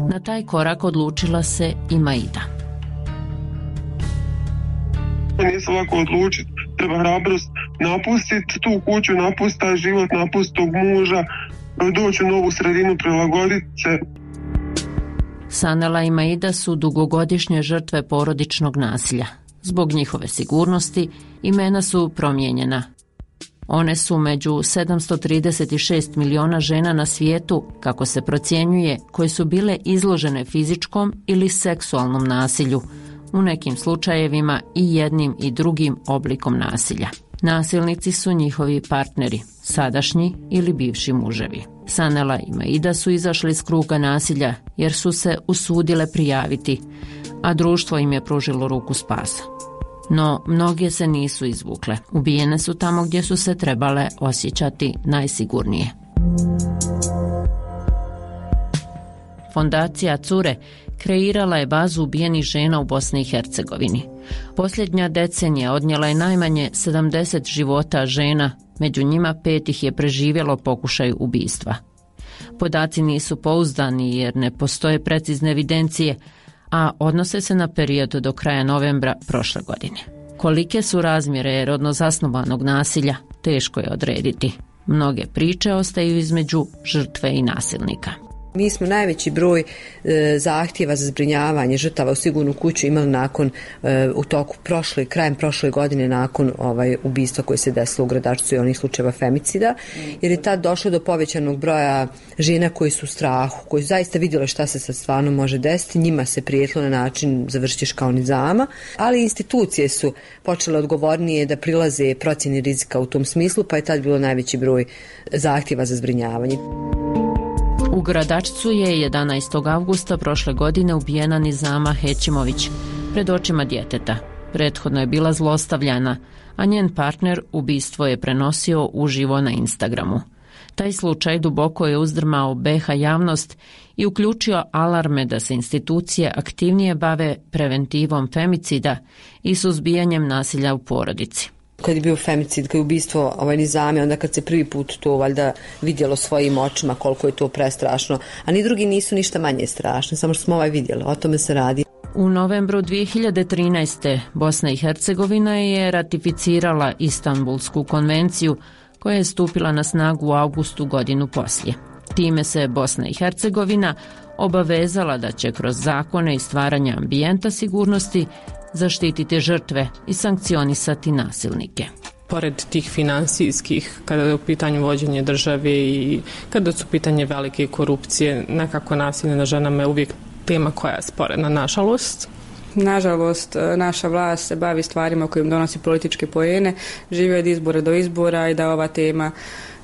[SPEAKER 2] Na taj korak odlučila se i Maida.
[SPEAKER 3] Nije se lako odlučiti, treba hrabrost napustiti tu kuću, napustiti taj život, napustiti tog muža, doći u novu sredinu, prilagoditi se.
[SPEAKER 2] Sanela i Maida su dugogodišnje žrtve porodičnog nasilja. Zbog njihove sigurnosti imena su promijenjena. One su među sedamsto trideset šest miliona žena na svijetu, kako se procjenjuje, koje su bile izložene fizičkom ili seksualnom nasilju, u nekim slučajevima i jednim i drugim oblikom nasilja. Nasilnici su njihovi partneri, sadašnji ili bivši muževi. Sanela i Maida su izašli iz kruga nasilja jer su se usudile prijaviti, a društvo im je pružilo ruku spasa. No, mnoge se nisu izvukle. Ubijene su tamo gdje su se trebale osjećati najsigurnije. Fondacija Cure kreirala je bazu ubijenih žena u Bosni i Hercegovini. Posljednja decenija odnijela je najmanje sedamdeset života žena, među njima pet ih je preživjelo pokušaj ubistva. Podaci nisu pouzdani jer ne postoje precizne evidencije, a odnose se na period do kraja novembra prošle godine. Kolike su razmjere rodno zasnovanog nasilja, teško je odrediti. Mnoge priče ostaju između žrtve i nasilnika.
[SPEAKER 7] Mi smo najveći broj e, zahtjeva za zbrinjavanje žrtava u sigurnu kuću imali nakon e, u toku prošle, krajem prošle godine nakon ovaj ubistva koje se desilo u Gradačcu i onih slučajeva femicida, jer je tad došlo do povećanog broja žena koji su u strahu, koji su zaista vidjeli šta se sad stvarno može desiti, njima se prijetilo na način završiš kao nizama, ali institucije su počele odgovornije da prilaze procjeni rizika u tom smislu, pa je tad bilo najveći broj zahtjeva za zbrinjavanje.
[SPEAKER 2] U Gradačcu je jedanaestog avgusta prošle godine ubijena Nizama Hećimović pred očima djeteta. Prethodno je bila zlostavljana, a njen partner ubistvo je prenosio uživo na Instagramu. Taj slučaj duboko je uzdrmao be ha javnost i uključio alarme da se institucije aktivnije bave preventivom femicida i suzbijanjem nasilja u porodici.
[SPEAKER 7] Kad je bio femicid, kad je ubistvo ovaj Nizame, onda kad se prvi put to valjda vidjelo svojim očima koliko je to prestrašno, a ni drugi nisu ništa manje strašni, samo što smo ovaj vidjeli, o tome se radi.
[SPEAKER 2] U novembru dvije hiljade trinaeste. Bosna i Hercegovina je ratificirala Istanbulsku konvenciju koja je stupila na snagu u avgustu godinu poslije. Time se Bosna i Hercegovina obavezala da će kroz zakone i stvaranje ambijenta sigurnosti zaštititi žrtve i sankcionisati nasilnike.
[SPEAKER 8] Pored tih finansijskih, kada je u pitanju vođenje države i kada su pitanje velike korupcije, nekako nasilje na ženama je uvijek tema koja je sporedna, nažalost.
[SPEAKER 9] Nažalost, naša vlast se bavi stvarima kojim donosi političke poene, žive od izbora do izbora i da ova tema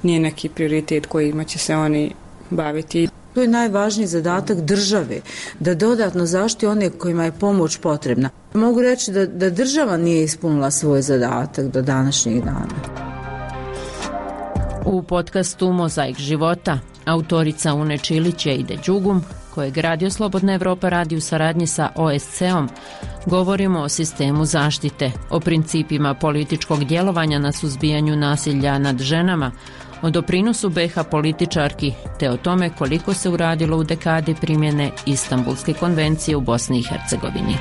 [SPEAKER 9] nije neki prioritet kojima će se oni baviti.
[SPEAKER 10] To je najvažniji zadatak države, da dodatno zaštiti one kojima je pomoć potrebna. Mogu reći da, da država nije ispunila svoj zadatak do današnjeg dana.
[SPEAKER 2] U podcastu Mozaik života autorica Une Čilić i Ide Đugum, kojeg Radio Slobodna Evropa radi u saradnji sa O S C-om, govorimo o sistemu zaštite, o principima političkog djelovanja na suzbijanju nasilja nad ženama, o doprinosu B iH političarki, te o tome koliko se uradilo u dekadi primjene Istanbulske konvencije u Bosni i Hercegovini.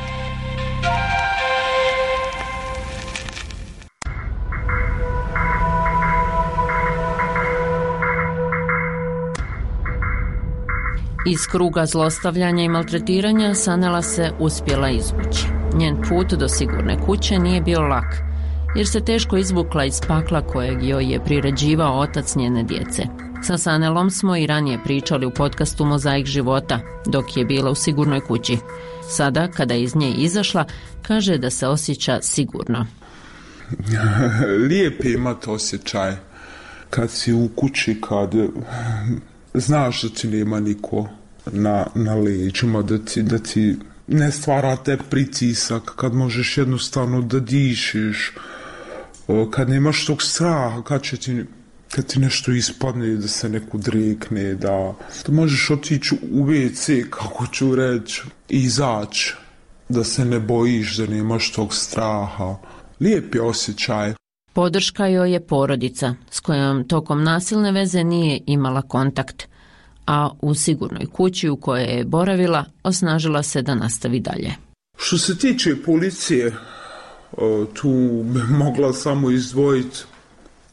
[SPEAKER 2] Iz kruga zlostavljanja i maltretiranja Sanela se uspjela izvući. Njen put do sigurne kuće nije bio lak, jer se teško izvukla iz pakla kojeg joj je priređivao otac njene djece. Sa Sanelom smo i ranije pričali u podcastu Mozaik života, dok je bila u sigurnoj kući. Sada, kada je iz nje izašla, kaže da se osjeća sigurno.
[SPEAKER 23] Lijep je imati osjećaj kad si u kući, kad znaš da ti nema niko na, na leđima, da ti, da ti ne stvara te pritisak, kad možeš jednostavno da dišeš, kad nemaš tog straha, kad će ti, kad ti nešto ispadne, da se neko drekne, da, da možeš otići u ve ce, kako ću reći, i izaći, da se ne bojiš, da nemaš tog straha. Lijep je osjećaj.
[SPEAKER 2] Podrška joj je porodica, s kojom tokom nasilne veze nije imala kontakt, a u sigurnoj kući u kojoj je boravila osnažila se da nastavi dalje.
[SPEAKER 23] Što se tiče policije, tu bi mogla samo izdvojiti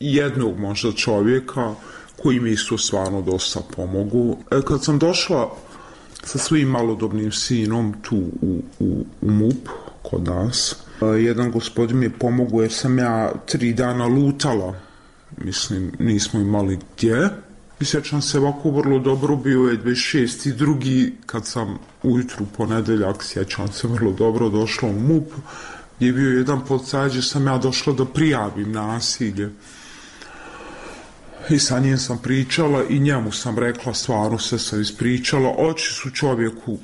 [SPEAKER 23] jednog možda čovjeka koji mi isto stvarno dosta pomogu. Kad sam došla sa svojim malodobnim sinom tu u, u, u M U P kod nas, jedan gospodin mi je pomogao jer sam ja tri dana lutala. Mislim, nismo imali gdje. I sjećam se ovako vrlo dobro, bio je dvadeset šesti drugi kad sam ujutru ponedeljak, sjećam se vrlo dobro, došla u M U P, gdje je bio jedan policaj, gdje sam ja došla da prijavim nasilje. I sa njim sam pričala i njemu sam rekla, stvarno se sam ispričala, oči su čovjeku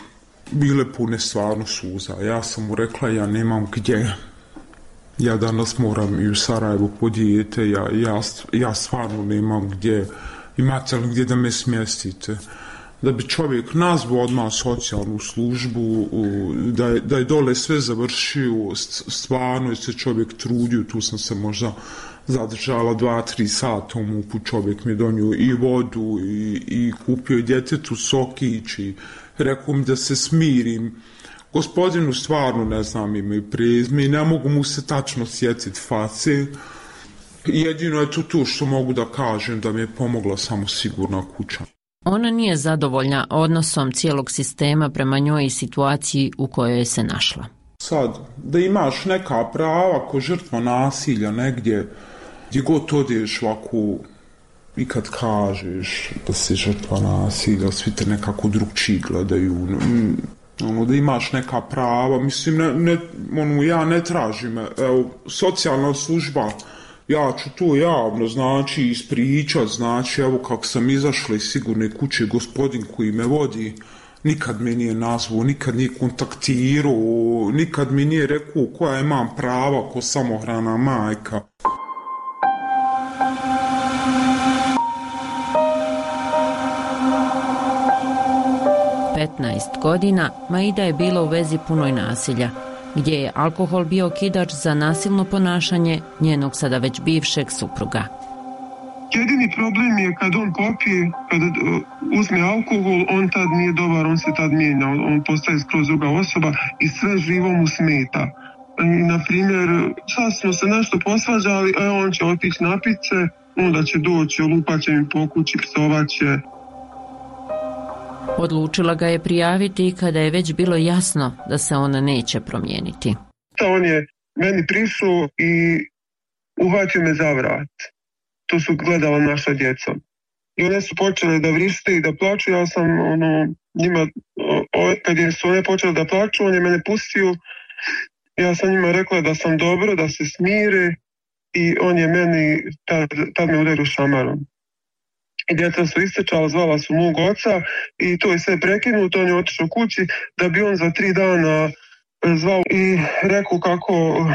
[SPEAKER 23] bile pune stvarno suza. Ja sam mu rekla, ja nemam gdje. Ja danas moram i u Sarajevo po dijete, ja, ja, ja stvarno nemam gdje. Imate li gdje da me smjestite? Da bi čovjek nazvao odmah socijalnu službu, da je, da je dole sve završio, stvarno je se čovjek trudio, tu sam se možda zadržala dva, tri sata u M U P-u, čovjek mi je donio i vodu i, i kupio i djetetu sokić i rekao mi da se smirim. Gospodinu stvarno ne znam ime i prezime i ne mogu mu se tačno sjetiti face. Jedino je to tu što mogu da kažem da mi je pomogla samo sigurna kuća.
[SPEAKER 2] Ona nije zadovoljna odnosom cijelog sistema prema njoj i situaciji u kojoj se našla.
[SPEAKER 23] Sad, da imaš neka prava ko žrtva nasilja negdje, gdje god odeš ovako i kad kažeš da si žrtva nasilja, svi te nekako drugčiji gledaju. Ono, da imaš neka prava, mislim, ne, ne, ono, ja ne tražim, evo, socijalna služba, ja ću to javno, znači, ispričat, znači, evo kako sam izašla iz sigurne kuće, gospodin koji me vodi, nikad me nije nazvao, nikad nije kontaktirao, nikad mi nije rekao koja imam prava ko samohrana majka.
[SPEAKER 2] petnaest godina Maida je bila u vezi punoj nasilja, gdje je alkohol bio okidač za nasilno ponašanje njenog sada već bivšeg supruga.
[SPEAKER 3] Jedini problem je kad on popije, kad uzme alkohol, on tad nije dobar, on se tad mijenja, on postaje skroz druga osoba i sve živo mu smeta. I, na primjer, sad smo se nešto posvađali, a on će otići napit se, onda će doći, olupaće mi po kući, psovaće.
[SPEAKER 2] Odlučila ga je prijaviti i kada je već bilo jasno da se ona neće promijeniti.
[SPEAKER 3] On je meni prišao i uhvatio me za vrat. To su gledala naša djeca. I one su počele da vrište i da plaču. Ja sam ono, njima, o, kad je su one počele da plaču, on je mene pustio. Ja sam njima rekla da sam dobro, da se smire i on je meni tad, tad me udario šamarom. I djeca su istečala, zvala su mog oca i to je sve prekinuto. On je otišao kući da bi on za tri dana zvao i rekao kako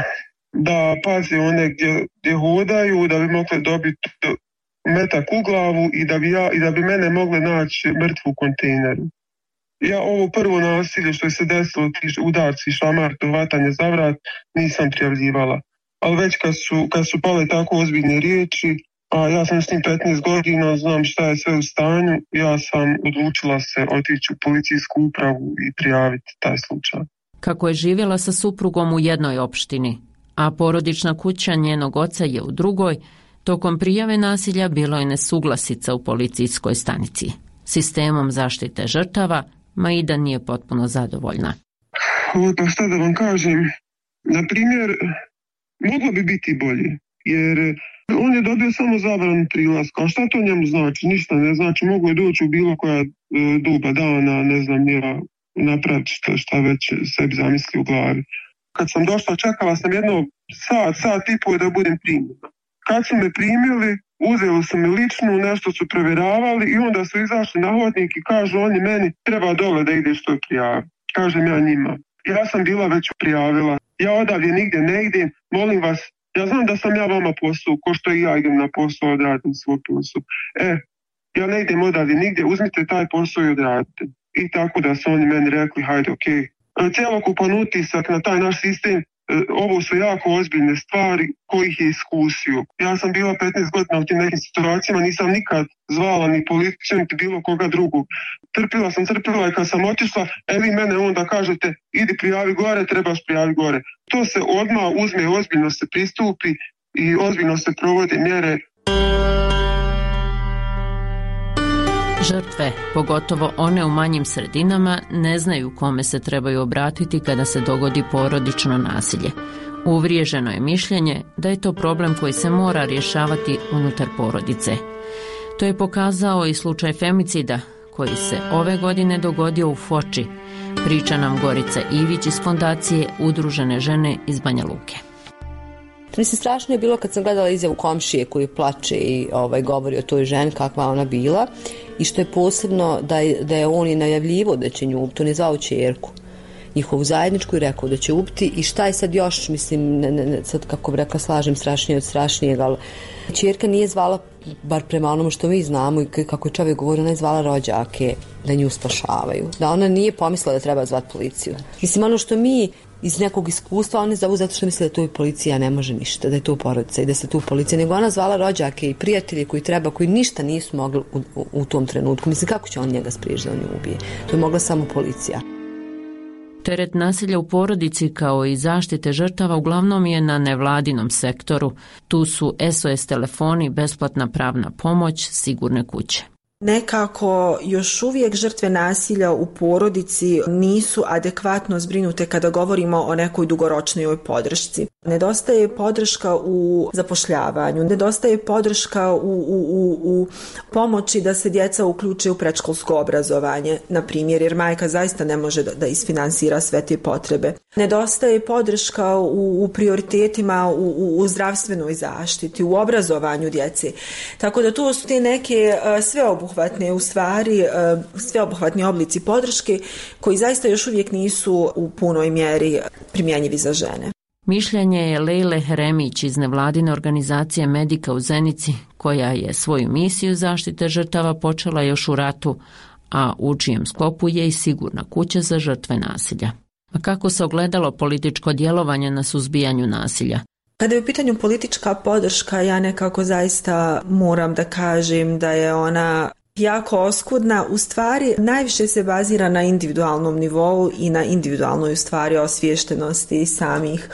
[SPEAKER 3] da pazi one gdje, gdje hodaju, da bi mogli dobiti metak u glavu i da bi, ja, i da bi mene mogli naći mrtvu u kontejneru. Ja ovo prvo nasilje što je se desilo, ti udarci, šamar, hvatanje za vrat, nisam prijavljivala. Ali već kad su, kad su pale tako ozbiljne riječi, a ja sam s njim petnaest godina, znam šta je sve u stanju, ja sam odlučila se otići u policijsku upravu i prijaviti taj slučaj.
[SPEAKER 2] Kako je živjela sa suprugom u jednoj opštini, a porodična kuća njenog oca je u drugoj, tokom prijave nasilja bilo je nesuglasica u policijskoj stanici. Sistemom zaštite žrtava Maida nije potpuno zadovoljna.
[SPEAKER 3] O, pa šta da vam kažem, na primjer, moglo bi biti bolje, jer on je dobio samo zabranu prilaska, a šta to njemu znači? Ništa ne znači, mogu je doći u bilo koja e, doba dana, ne znam, ja napraviti šta, šta već sebi zamisli u glavi. Kad sam došla, čekala sam jedno sat, sat i pol da budem primljena. Kad su me primili, uzeli su me ličnu, nešto su provjeravali i onda su izašli na hodnik i kažu oni meni treba dole da ideš to prijavi. Kažem ja njima. Ja sam bila već prijavila. Ja odavdje nigdje ne idem, molim vas, ja znam da sam ja vama posao, ko što i ja idem na posao, odradim svoj posao. E, ja ne idem odavdje nigdje, uzmite taj posao i odradite. I tako da su oni meni rekli, hajde, okej. Okay. Cijelokupan utisak na taj naš sistem, ovo su jako ozbiljne stvari kojih je iskusio. Ja sam bila petnaest godina u tim nekim situacijama, nisam nikad zvala ni policiju, ni bilo koga drugog. Trpila sam, trpila i kad sam otišla, e vi mene onda kažete, idi prijavi gore, trebaš prijavi gore. To se odmah uzme, ozbiljno se pristupi i ozbiljno se provode mjere.
[SPEAKER 2] Žrtve, pogotovo one u manjim sredinama, ne znaju kome se trebaju obratiti kada se dogodi porodično nasilje. Uvriježeno je mišljenje da je to problem koji se mora rješavati unutar porodice. To je pokazao i slučaj femicida koji se ove godine dogodio u Foči, priča nam Gorica Ivić iz fondacije Udružene žene iz Banja Luke.
[SPEAKER 7] Mislim, strašno je bilo kad sam gledala izjavu komšije koji plače i ovaj, govori o toj ženi kakva ona bila i što je posebno da je, da je on i najavljivo da će nju ubiti, on je zvao ćerku njihovu zajedničku i rekao da će ubiti i šta je sad još, mislim, ne, ne, sad kako bi rekla slažem strašnije od strašnijeg, ali ćerka nije zvala, bar prema onome što mi znamo i kako je čovjek govorio, ona je zvala rođake da nju spašavaju, da ona nije pomislila da treba zvati policiju. Mislim, ono što mi iz nekog iskustva, oni zovu zato što misle da tu i policija ne može ništa, da je tu porodica i da se tu policija, nego ona zvala rođake i prijatelje koji treba, koji ništa nisu mogli u, u, u tom trenutku. Mislim, kako će on njega spriječiti da on nju ubije? To je mogla samo policija.
[SPEAKER 2] Teret nasilja u porodici kao i zaštite žrtava uglavnom je na nevladinom sektoru. Tu su S O S telefoni, besplatna pravna pomoć, sigurne kuće.
[SPEAKER 11] Nekako još uvijek žrtve nasilja u porodici nisu adekvatno zbrinute kada govorimo o nekoj dugoročnoj podršci. Nedostaje podrška u zapošljavanju, nedostaje podrška u, u, u, u pomoći da se djeca uključe u predškolsko obrazovanje, na primjer, jer majka zaista ne može da, da isfinansira sve te potrebe. Nedostaje podrška u, u prioritetima u, u, u zdravstvenoj zaštiti, u obrazovanju djece. Tako da to su te neke uh, sveobuhvatne, u stvari, uh, sveobuhvatni oblici podrške koji zaista još uvijek nisu u punoj mjeri primjenjivi za žene.
[SPEAKER 2] Mišljenje je Lejle Heremić iz nevladine organizacije Medika u Zenici, koja je svoju misiju zaštite žrtava počela još u ratu, a u čijem sklopu je i sigurna kuća za žrtve nasilja. A kako se ogledalo političko djelovanje na suzbijanju nasilja?
[SPEAKER 11] Kada je u pitanju politička podrška, ja nekako zaista moram da kažem da je ona jako oskudna, u stvari najviše se bazira na individualnom nivou i na individualnoj u stvari osviještenosti samih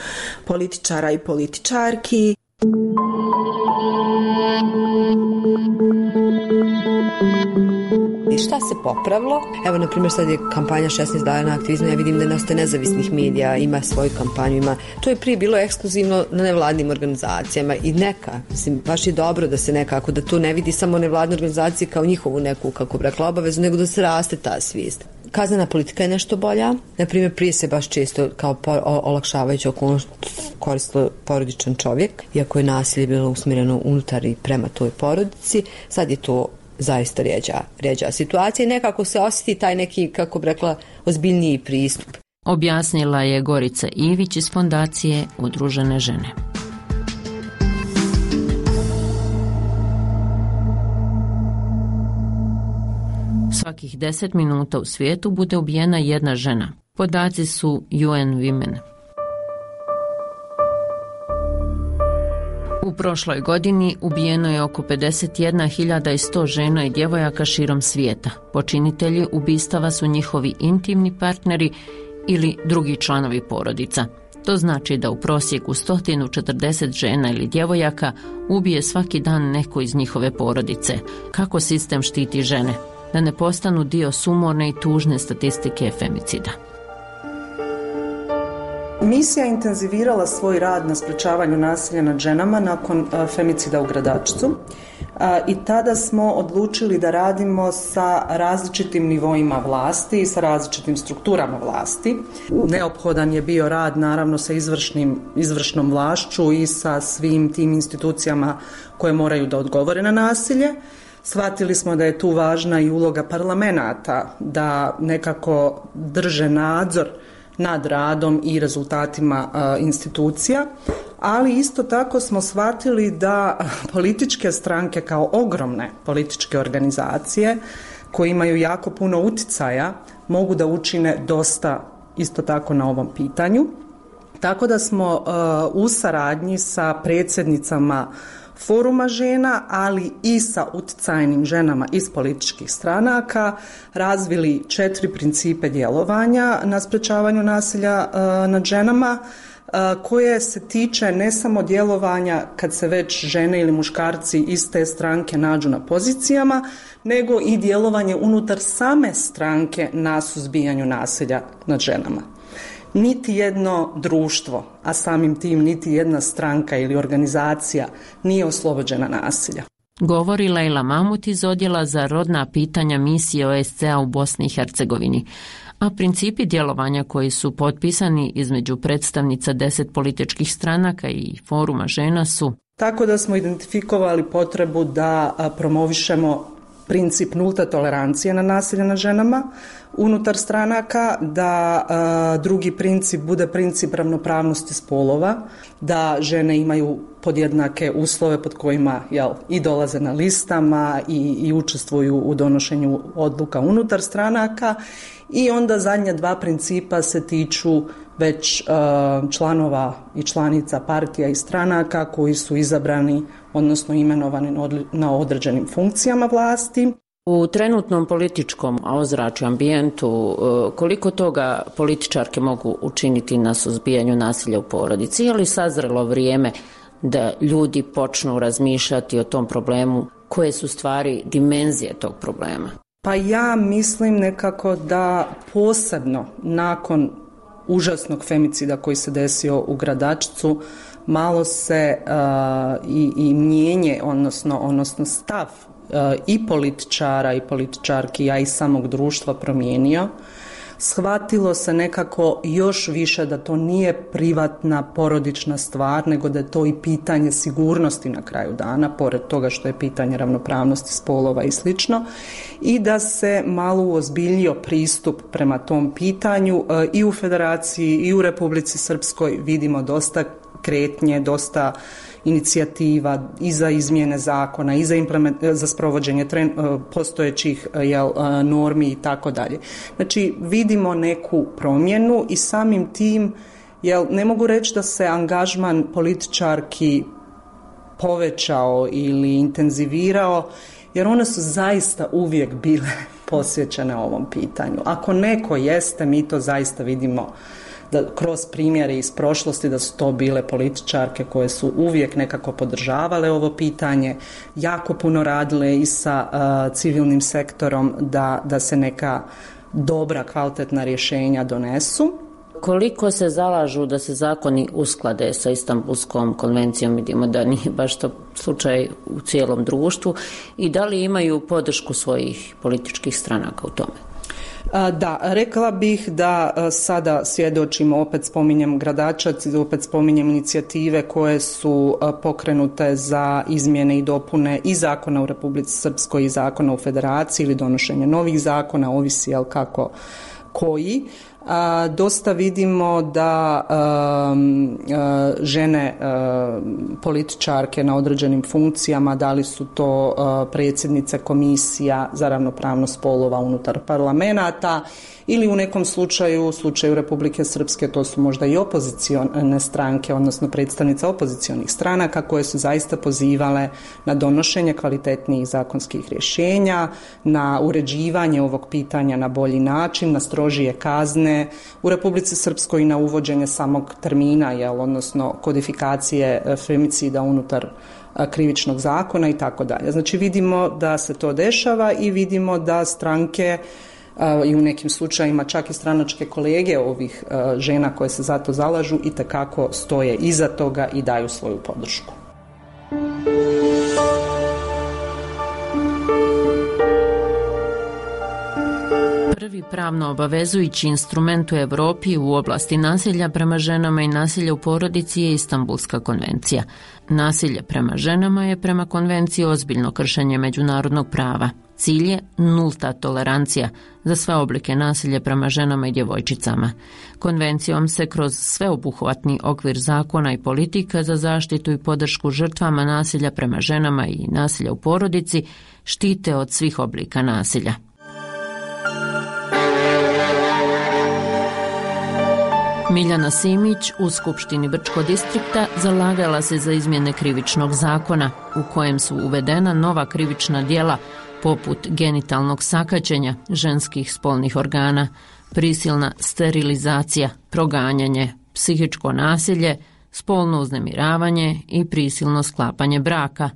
[SPEAKER 11] političara i političarki.
[SPEAKER 7] I šta se popravilo? Evo, na primjer, sad je kampanja šesnaest dana aktivizma, ja vidim da nastaje nezavisnih medija, ima svoju kampanju, ima... To je prije bilo ekskluzivno na nevladnim organizacijama i neka, mislim, baš je dobro da se nekako, da to ne vidi samo nevladne organizacije kao njihovu neku, kako bi rekla, obavezu, nego da se raste ta svijest. Kaznena politika je nešto bolja. Na primjer, prije se baš često kao olakšavajuća okolnost koristilo porodičan čovjek, iako je nasilje bilo usmjereno unutar i prema toj porodici. Sad je to zaista rijeđa, rijeđa situacija i nekako se osjeti taj neki, kako bi rekla, ozbiljniji pristup.
[SPEAKER 2] Objasnila je Gorica Ivić iz Fondacije Udružene žene. Svakih deset minuta u svijetu bude ubijena jedna žena. Podaci su U N Women. U prošloj godini ubijeno je oko pedeset jedna hiljada sto žena i djevojaka širom svijeta. Počinitelji ubistava su njihovi intimni partneri ili drugi članovi porodica. To znači da u prosjeku sto četrdeset žena ili djevojaka ubije svaki dan neko iz njihove porodice. Kako sistem štiti žene? Da ne postanu dio sumorne i tužne statistike femicida.
[SPEAKER 12] Misija je intenzivirala svoj rad na sprečavanju nasilja nad ženama nakon femicida u Gradačcu i tada smo odlučili da radimo sa različitim nivoima vlasti i sa različitim strukturama vlasti. Neophodan je bio rad naravno sa izvršnim, izvršnom vlašću i sa svim tim institucijama koje moraju da odgovore na nasilje. Shvatili smo da je tu važna i uloga parlamenata, da nekako drže nadzor nad radom i rezultatima uh, institucija, ali isto tako smo shvatili da političke stranke kao ogromne političke organizacije koje imaju jako puno uticaja mogu da učine dosta isto tako na ovom pitanju. Tako da smo uh, u saradnji sa predsjednicama Foruma žena, ali i sa uticajnim ženama iz političkih stranaka razvili četiri principe djelovanja na sprečavanju nasilja uh, nad ženama uh, koje se tiče ne samo djelovanja kad se već žene ili muškarci iz te stranke nađu na pozicijama, nego i djelovanje unutar same stranke na suzbijanju nasilja nad ženama. Niti jedno društvo, a samim tim niti jedna stranka ili organizacija nije oslobođena nasilja.
[SPEAKER 2] Govori Lejla Mamut iz Odjela za rodna pitanja misije O S C A u Bosni i Hercegovini. A principi djelovanja koji su potpisani između predstavnica deset političkih stranaka i Foruma žena su...
[SPEAKER 12] Tako da smo identifikovali potrebu da promovišemo princip nulte tolerancije na nasilje nad ženama unutar stranaka, da a, drugi princip bude princip ravnopravnosti spolova, da žene imaju podjednake uslove pod kojima jel, i dolaze na listama i, i učestvuju u donošenju odluka unutar stranaka, i onda zadnja dva principa se tiču već a, članova i članica partija i stranaka koji su izabrani, odnosno imenovani na određenim funkcijama vlasti.
[SPEAKER 2] U trenutnom političkom ozračju, ambijentu, koliko toga političarke mogu učiniti na suzbijanju nasilja u porodici? Je li sazrelo vrijeme da ljudi počnu razmišljati o tom problemu? Koje su stvari dimenzije tog problema?
[SPEAKER 12] Pa ja mislim nekako da posebno nakon užasnog femicida koji se desio u Gradačcu malo se uh, i, i mijenje, odnosno, odnosno stav uh, i političara i političarki, a i samog društva promijenio. Shvatilo se nekako još više da to nije privatna porodična stvar, nego da je to i pitanje sigurnosti na kraju dana, pored toga što je pitanje ravnopravnosti spolova i slično, i da se malo uozbiljio pristup prema tom pitanju. I u Federaciji i u Republici Srpskoj vidimo dosta kretnje, dosta inicijativa i za izmjene zakona i za, implement, za sprovođenje tren, postojećih jel, normi i tako dalje. Znači vidimo neku promjenu i samim tim jel, ne mogu reći da se angažman političarki povećao ili intenzivirao, jer one su zaista uvijek bile posvećene ovom pitanju. Ako neko jeste, mi to zaista vidimo da kroz primjere iz prošlosti da su to bile političarke koje su uvijek nekako podržavale ovo pitanje, jako puno radile i sa uh, civilnim sektorom da, da se neka dobra, kvalitetna rješenja donesu.
[SPEAKER 2] Koliko se zalažu da se zakoni usklade sa Istanbulskom konvencijom, vidimo da nije baš to slučaj u cijelom društvu, i da li imaju podršku svojih političkih stranaka u tome?
[SPEAKER 12] Da, rekla bih da sada svjedočimo, opet spominjem Gradačac, opet spominjem inicijative koje su pokrenute za izmjene i dopune i zakona u Republici Srpskoj i zakona u Federaciji ili donošenje novih zakona, ovisi jel kako koji. A, dosta vidimo da a, a, žene a, političarke na određenim funkcijama, da li su to a, predsjednice komisija za ravnopravnost spolova unutar parlamenata ili u nekom slučaju, u slučaju Republike Srpske, to su možda i opozicione stranke, odnosno predstavnice opozicionih stranaka koje su zaista pozivale na donošenje kvalitetnijih zakonskih rješenja, na uređivanje ovog pitanja na bolji način, na strožije kazne u Republici Srpskoj i na uvođenje samog termina, jel, odnosno kodifikacije femicida unutar krivičnog zakona i tako dalje. Znači vidimo da se to dešava i vidimo da stranke i u nekim slučajima čak i stranačke kolege ovih žena koje se za to zalažu i tekako stoje iza toga i daju svoju podršku.
[SPEAKER 2] Prvi pravno obavezujući instrument u Europi u oblasti nasilja prema ženama i nasilja u porodici je Istanbulska konvencija. Nasilje prema ženama je prema konvenciji ozbiljno kršenje međunarodnog prava. Cilj je nulta tolerancija za sve oblike nasilja prema ženama i djevojčicama. Konvencijom se kroz sveobuhvatni okvir zakona i politika za zaštitu i podršku žrtvama nasilja prema ženama i nasilja u porodici štite od svih oblika nasilja. Miljana Simić u Skupštini Brčkog distrikta zalagala se za izmjene krivičnog zakona u kojem su uvedena nova krivična djela poput genitalnog sakaćenja ženskih spolnih organa, prisilna sterilizacija, proganjanje, psihičko nasilje, spolno uznemiravanje i prisilno sklapanje braka,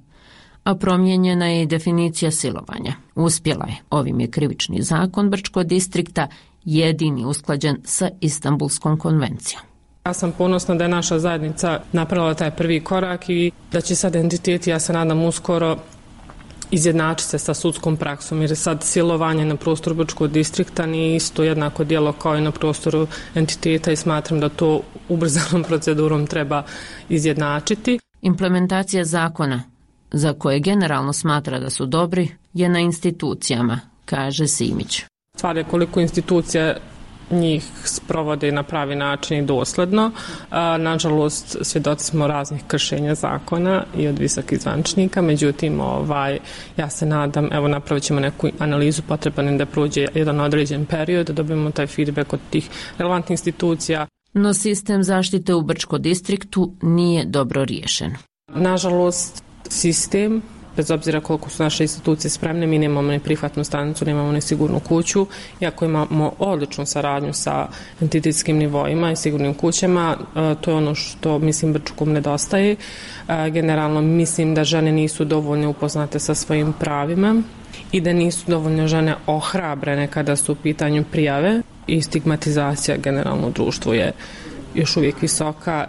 [SPEAKER 2] a promijenjena je i definicija silovanja. Uspjela je. Ovim je krivični zakon Brčkog distrikta jedini usklađen sa Istanbulskom konvencijom.
[SPEAKER 8] Ja sam ponosna da je naša zajednica napravila taj prvi korak i da će sad entiteti, ja se nadam uskoro, izjednačiti se sa sudskom praksom, jer sad silovanje na prostoru Brčkog distrikta nije isto jednako djelo kao i na prostoru entiteta i smatram da to ubrzanom procedurom treba izjednačiti.
[SPEAKER 2] Implementacija zakona, za koje generalno smatra da su dobri, je na institucijama, kaže Simić.
[SPEAKER 8] Stvar je koliko institucija njih sprovode na pravi način i dosledno. Nažalost, svjedoci smo raznih kršenja zakona i od visokih zvaničnika, međutim, ovaj, ja se nadam, evo napravit ćemo neku analizu, potreban da prođe jedan određen period, da dobijemo taj feedback od tih relevantnih institucija.
[SPEAKER 2] No sistem zaštite u Brčkom distriktu nije dobro riješen.
[SPEAKER 8] Nažalost, sistem, bez obzira koliko su naše institucije spremne, mi nemamo ni prihvatnu stanicu, nemamo ni sigurnu kuću, iako imamo odličnu saradnju sa entitetskim nivoima i sigurnim kućama, to je ono što mislim Brčkom nedostaje. Generalno mislim da žene nisu dovoljno upoznate sa svojim pravima i da nisu dovoljno žene ohrabrene kada su u pitanju prijave i stigmatizacija generalno u društvu je još uvijek visoka.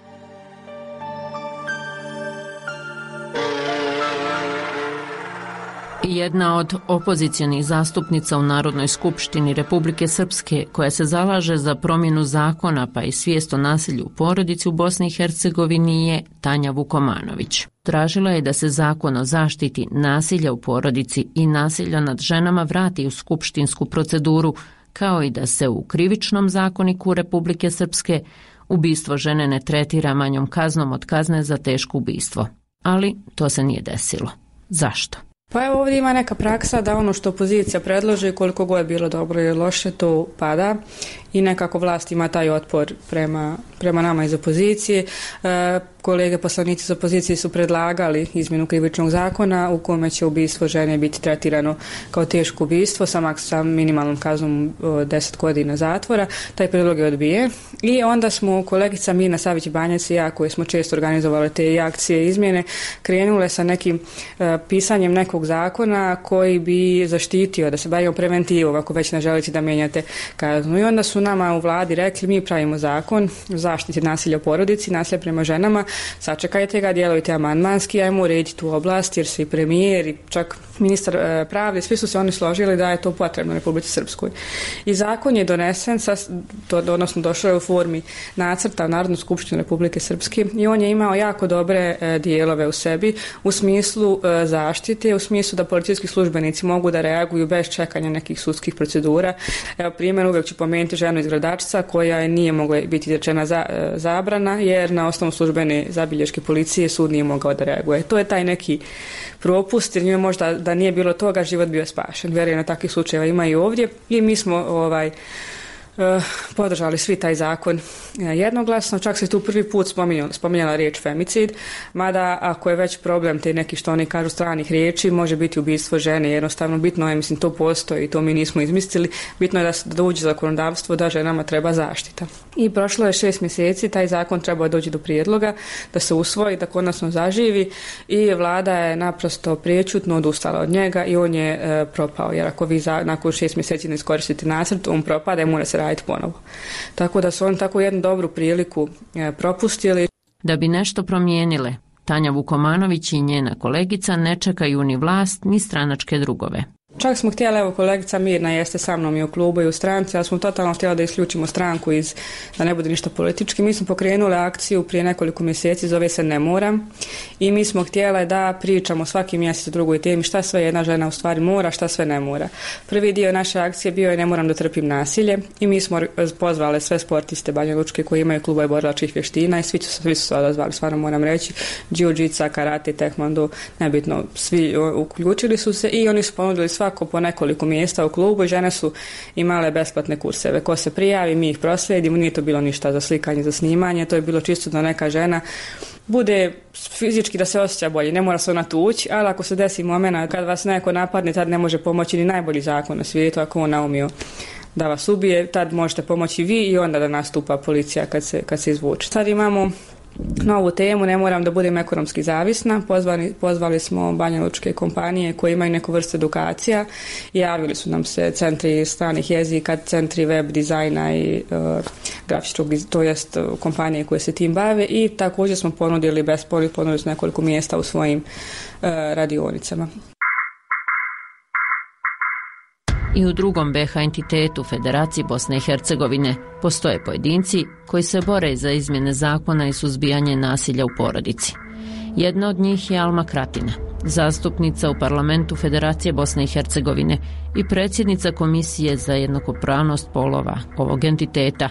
[SPEAKER 2] Jedna od opozicionih zastupnica u Narodnoj skupštini Republike Srpske, koja se zalaže za promjenu zakona pa i svijest o nasilju u porodici u Bosni i Hercegovini, je Tanja Vukomanović. Tražila je da se zakon o zaštiti nasilja u porodici i nasilja nad ženama vrati u skupštinsku proceduru, kao i da se u krivičnom zakoniku Republike Srpske ubistvo žene ne tretira manjom kaznom od kazne za teško ubistvo. Ali to se nije desilo. Zašto?
[SPEAKER 9] Pa evo ovdje ima neka praksa da ono što opozicija predloži, koliko god je bilo dobro ili loše, to pada i nekako vlast ima taj otpor prema prema nama iz opozicije. Kolege poslanici iz opozicije su predlagali izmjenu krivičnog zakona u kome će ubistvo žene biti tretirano kao teško ubistvo sa, sa minimalnom kaznom deset godina zatvora. Taj predlog je odbijen i onda smo kolegica Mirna Savić-Banjac i ja, koji smo često organizovali te akcije izmjene, krenule sa nekim pisanjem nekog zakona koji bi zaštitio, da se bavimo preventivom ako već ne želite da mijenjate kaznu. I onda su nama u vladi rekli, mi pravimo zakon o zaštiti nasilja u porodici, nasilja prema ženama, sačekajte ga, djelujte amandmanski, ajmo urediti tu oblast, jer svi premijer i čak ministar e, pravde, svi su se oni složili da je to potrebno Republici Srpskoj. I zakon je donesen, sa, to, odnosno došao je u formi nacrta u Narodnu skupštinu Republike Srpske i on je imao jako dobre e, dijelove u sebi u smislu e, zaštite, u smislu da policijski službenici mogu da reaguju bez čekanja nekih sudskih procedura. Evo primjer, uvijek ću pomenuti ženu iz Gradačca koja nije mogla biti izrečena za, e, zabrana jer na osnovu službene zabilješke policije sud nije mogao da reaguje. To je taj neki propust, jer njima možda da nije bilo toga život bio spašen. Vjerujem, takvih slučajeva ima i ovdje i mi smo ovaj Uh, podržali svi taj zakon uh, jednoglasno, čak se tu prvi put spominjala, spominjala riječ femicid, mada ako je već problem te neki što oni kažu stranih riječi, može biti ubistvo žene, jednostavno bitno je, mislim, to postoji i to mi nismo izmislili, bitno je da, da uđe zakonodavstvo da ženama treba zaštita. I prošlo je šest mjeseci, taj zakon trebao doći do prijedloga, da se usvoji, da konačno zaživi i vlada je naprosto priječutno odustala od njega i on je uh, propao, jer ako vi za, nakon šest mjeseci ne iskoristite nacrt, on propada i mora se raditi ponovo. Tako da su oni tako jednu dobru priliku e, propustili.
[SPEAKER 2] Da bi nešto promijenile, Tanja Vukomanović i njena kolegica ne čekaju ni vlast ni stranačke drugove.
[SPEAKER 9] Čak smo htjeli, evo kolegica Mirna jeste sa mnom i u klubu i u stranci, ali smo totalno htjeli da isključimo stranku iz, da ne bude ništa politički. Mi smo pokrenuli akciju prije nekoliko mjeseci, zove se Ne moram, i mi smo htjeli da pričamo svaki mjesec o drugoj temi šta sve jedna žena u stvari mora, šta sve ne mora. Prvi dio naše akcije bio je Ne moram da trpim nasilje i mi smo pozvali sve sportiste Banja Lučke koji imaju klubove borilačkih vještina i svi su, svi su se odazvali, stvarno moram reći, džiu-džica, karate, tekvando, nebitno, svi uključili su se i oni su ponudili svako po nekoliko mjesta u klubu i žene su imale besplatne kurseve. Ko se prijavi, mi ih proslijedimo, nije to bilo ništa za slikanje, za snimanje, to je bilo čisto da neka žena bude fizički da se osjeća bolje, ne mora se ona tući, ali ako se desi momena kad vas neko napadne, tad ne može pomoći ni najbolji zakon na svijetu, ako on naumio da vas ubije, tad možete pomoći vi i onda da nastupa policija kad se, kad se izvuče. Sad imamo novu temu, ne moram da budem ekonomski zavisna. Pozvali, pozvali smo Banja Lučke kompanije koje imaju neku vrstu edukacija i javili su nam se centri stranih jezika, centri web dizajna i uh, grafičkog, to jest uh, kompanije koje se tim bave i također smo ponudili besplatno, ponudili su nekoliko mjesta u svojim uh, radionicama.
[SPEAKER 2] I u drugom B H entitetu Federaciji Bosne i Hercegovine postoje pojedinci koji se bore za izmjene zakona i suzbijanje nasilja u porodici. Jedna od njih je Alma Kratina, zastupnica u parlamentu Federacije Bosne i Hercegovine i predsjednica Komisije za jednakopravnost polova ovog entiteta.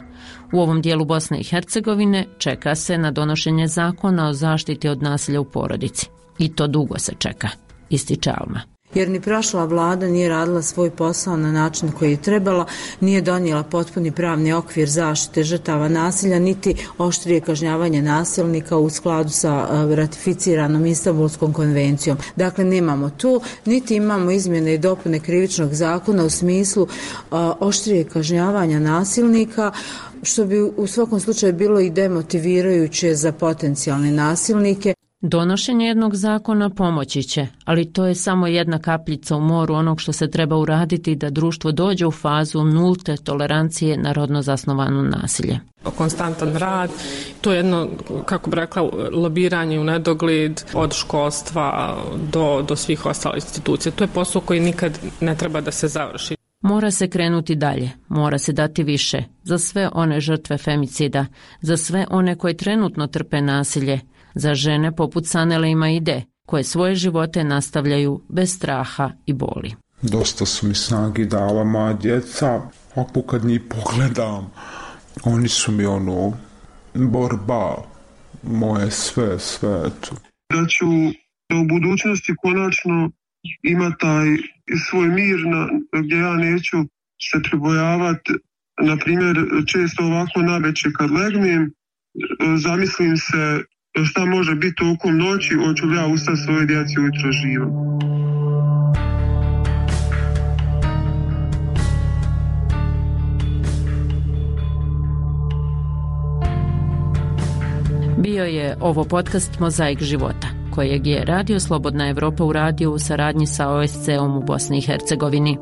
[SPEAKER 2] U ovom dijelu Bosne i Hercegovine čeka se na donošenje zakona o zaštiti od nasilja u porodici. I to dugo se čeka, ističe Alma.
[SPEAKER 10] Jer ni prošla vlada nije radila svoj posao na način koji je trebala, nije donijela potpuni pravni okvir zaštite žrtava nasilja, niti oštrije kažnjavanje nasilnika u skladu sa ratificiranom Istanbulskom konvencijom. Dakle, nemamo tu, niti imamo izmjene i dopune krivičnog zakona u smislu oštrije kažnjavanja nasilnika, što bi u svakom slučaju bilo i demotivirajuće za potencijalne nasilnike.
[SPEAKER 2] Donošenje jednog zakona pomoći će, ali to je samo jedna kapljica u moru onog što se treba uraditi da društvo dođe u fazu nulte tolerancije na rodno zasnovano nasilje.
[SPEAKER 8] Konstantan rad, to je jedno, kako bi rekla, lobiranje u nedogled od školstva do, do svih ostalih institucija. To je posao koji nikad ne treba da se završi.
[SPEAKER 2] Mora se krenuti dalje, mora se dati više za sve one žrtve femicida, za sve one koje trenutno trpe nasilje, za žene poput Sanele i Maide, koje svoje živote nastavljaju bez straha i boli.
[SPEAKER 23] Dosta su mi snagi dala moja djeca, ako kad njih pogledam, oni su mi ono, borba, moje sve, sve.
[SPEAKER 3] Da ću u budućnosti konačno imati taj svoj mir na, gdje ja neću se pribojavati, na primjer, često ovako navečer kad legnem, zamislim se šta može biti tokom noći, hoću li ja ustati svoje djeci ujutro živo.
[SPEAKER 2] Bio je ovo podcast Mozaik života, kojeg je Radio Slobodna Evropa uradio u saradnji sa O S C-om u Bosni i Hercegovini.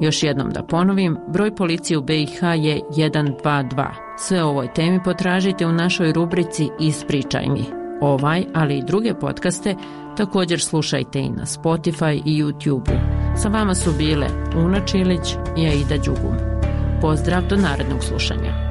[SPEAKER 2] Još jednom da ponovim, broj policije u B i H je jedan dva dva. Sve o ovoj temi potražite u našoj rubrici Ispričaj mi. Ovaj, ali i druge podcaste također slušajte i na Spotify i YouTube-u. Sa vama su bile Una Čilić i Aida Đugum. Pozdrav do narednog slušanja.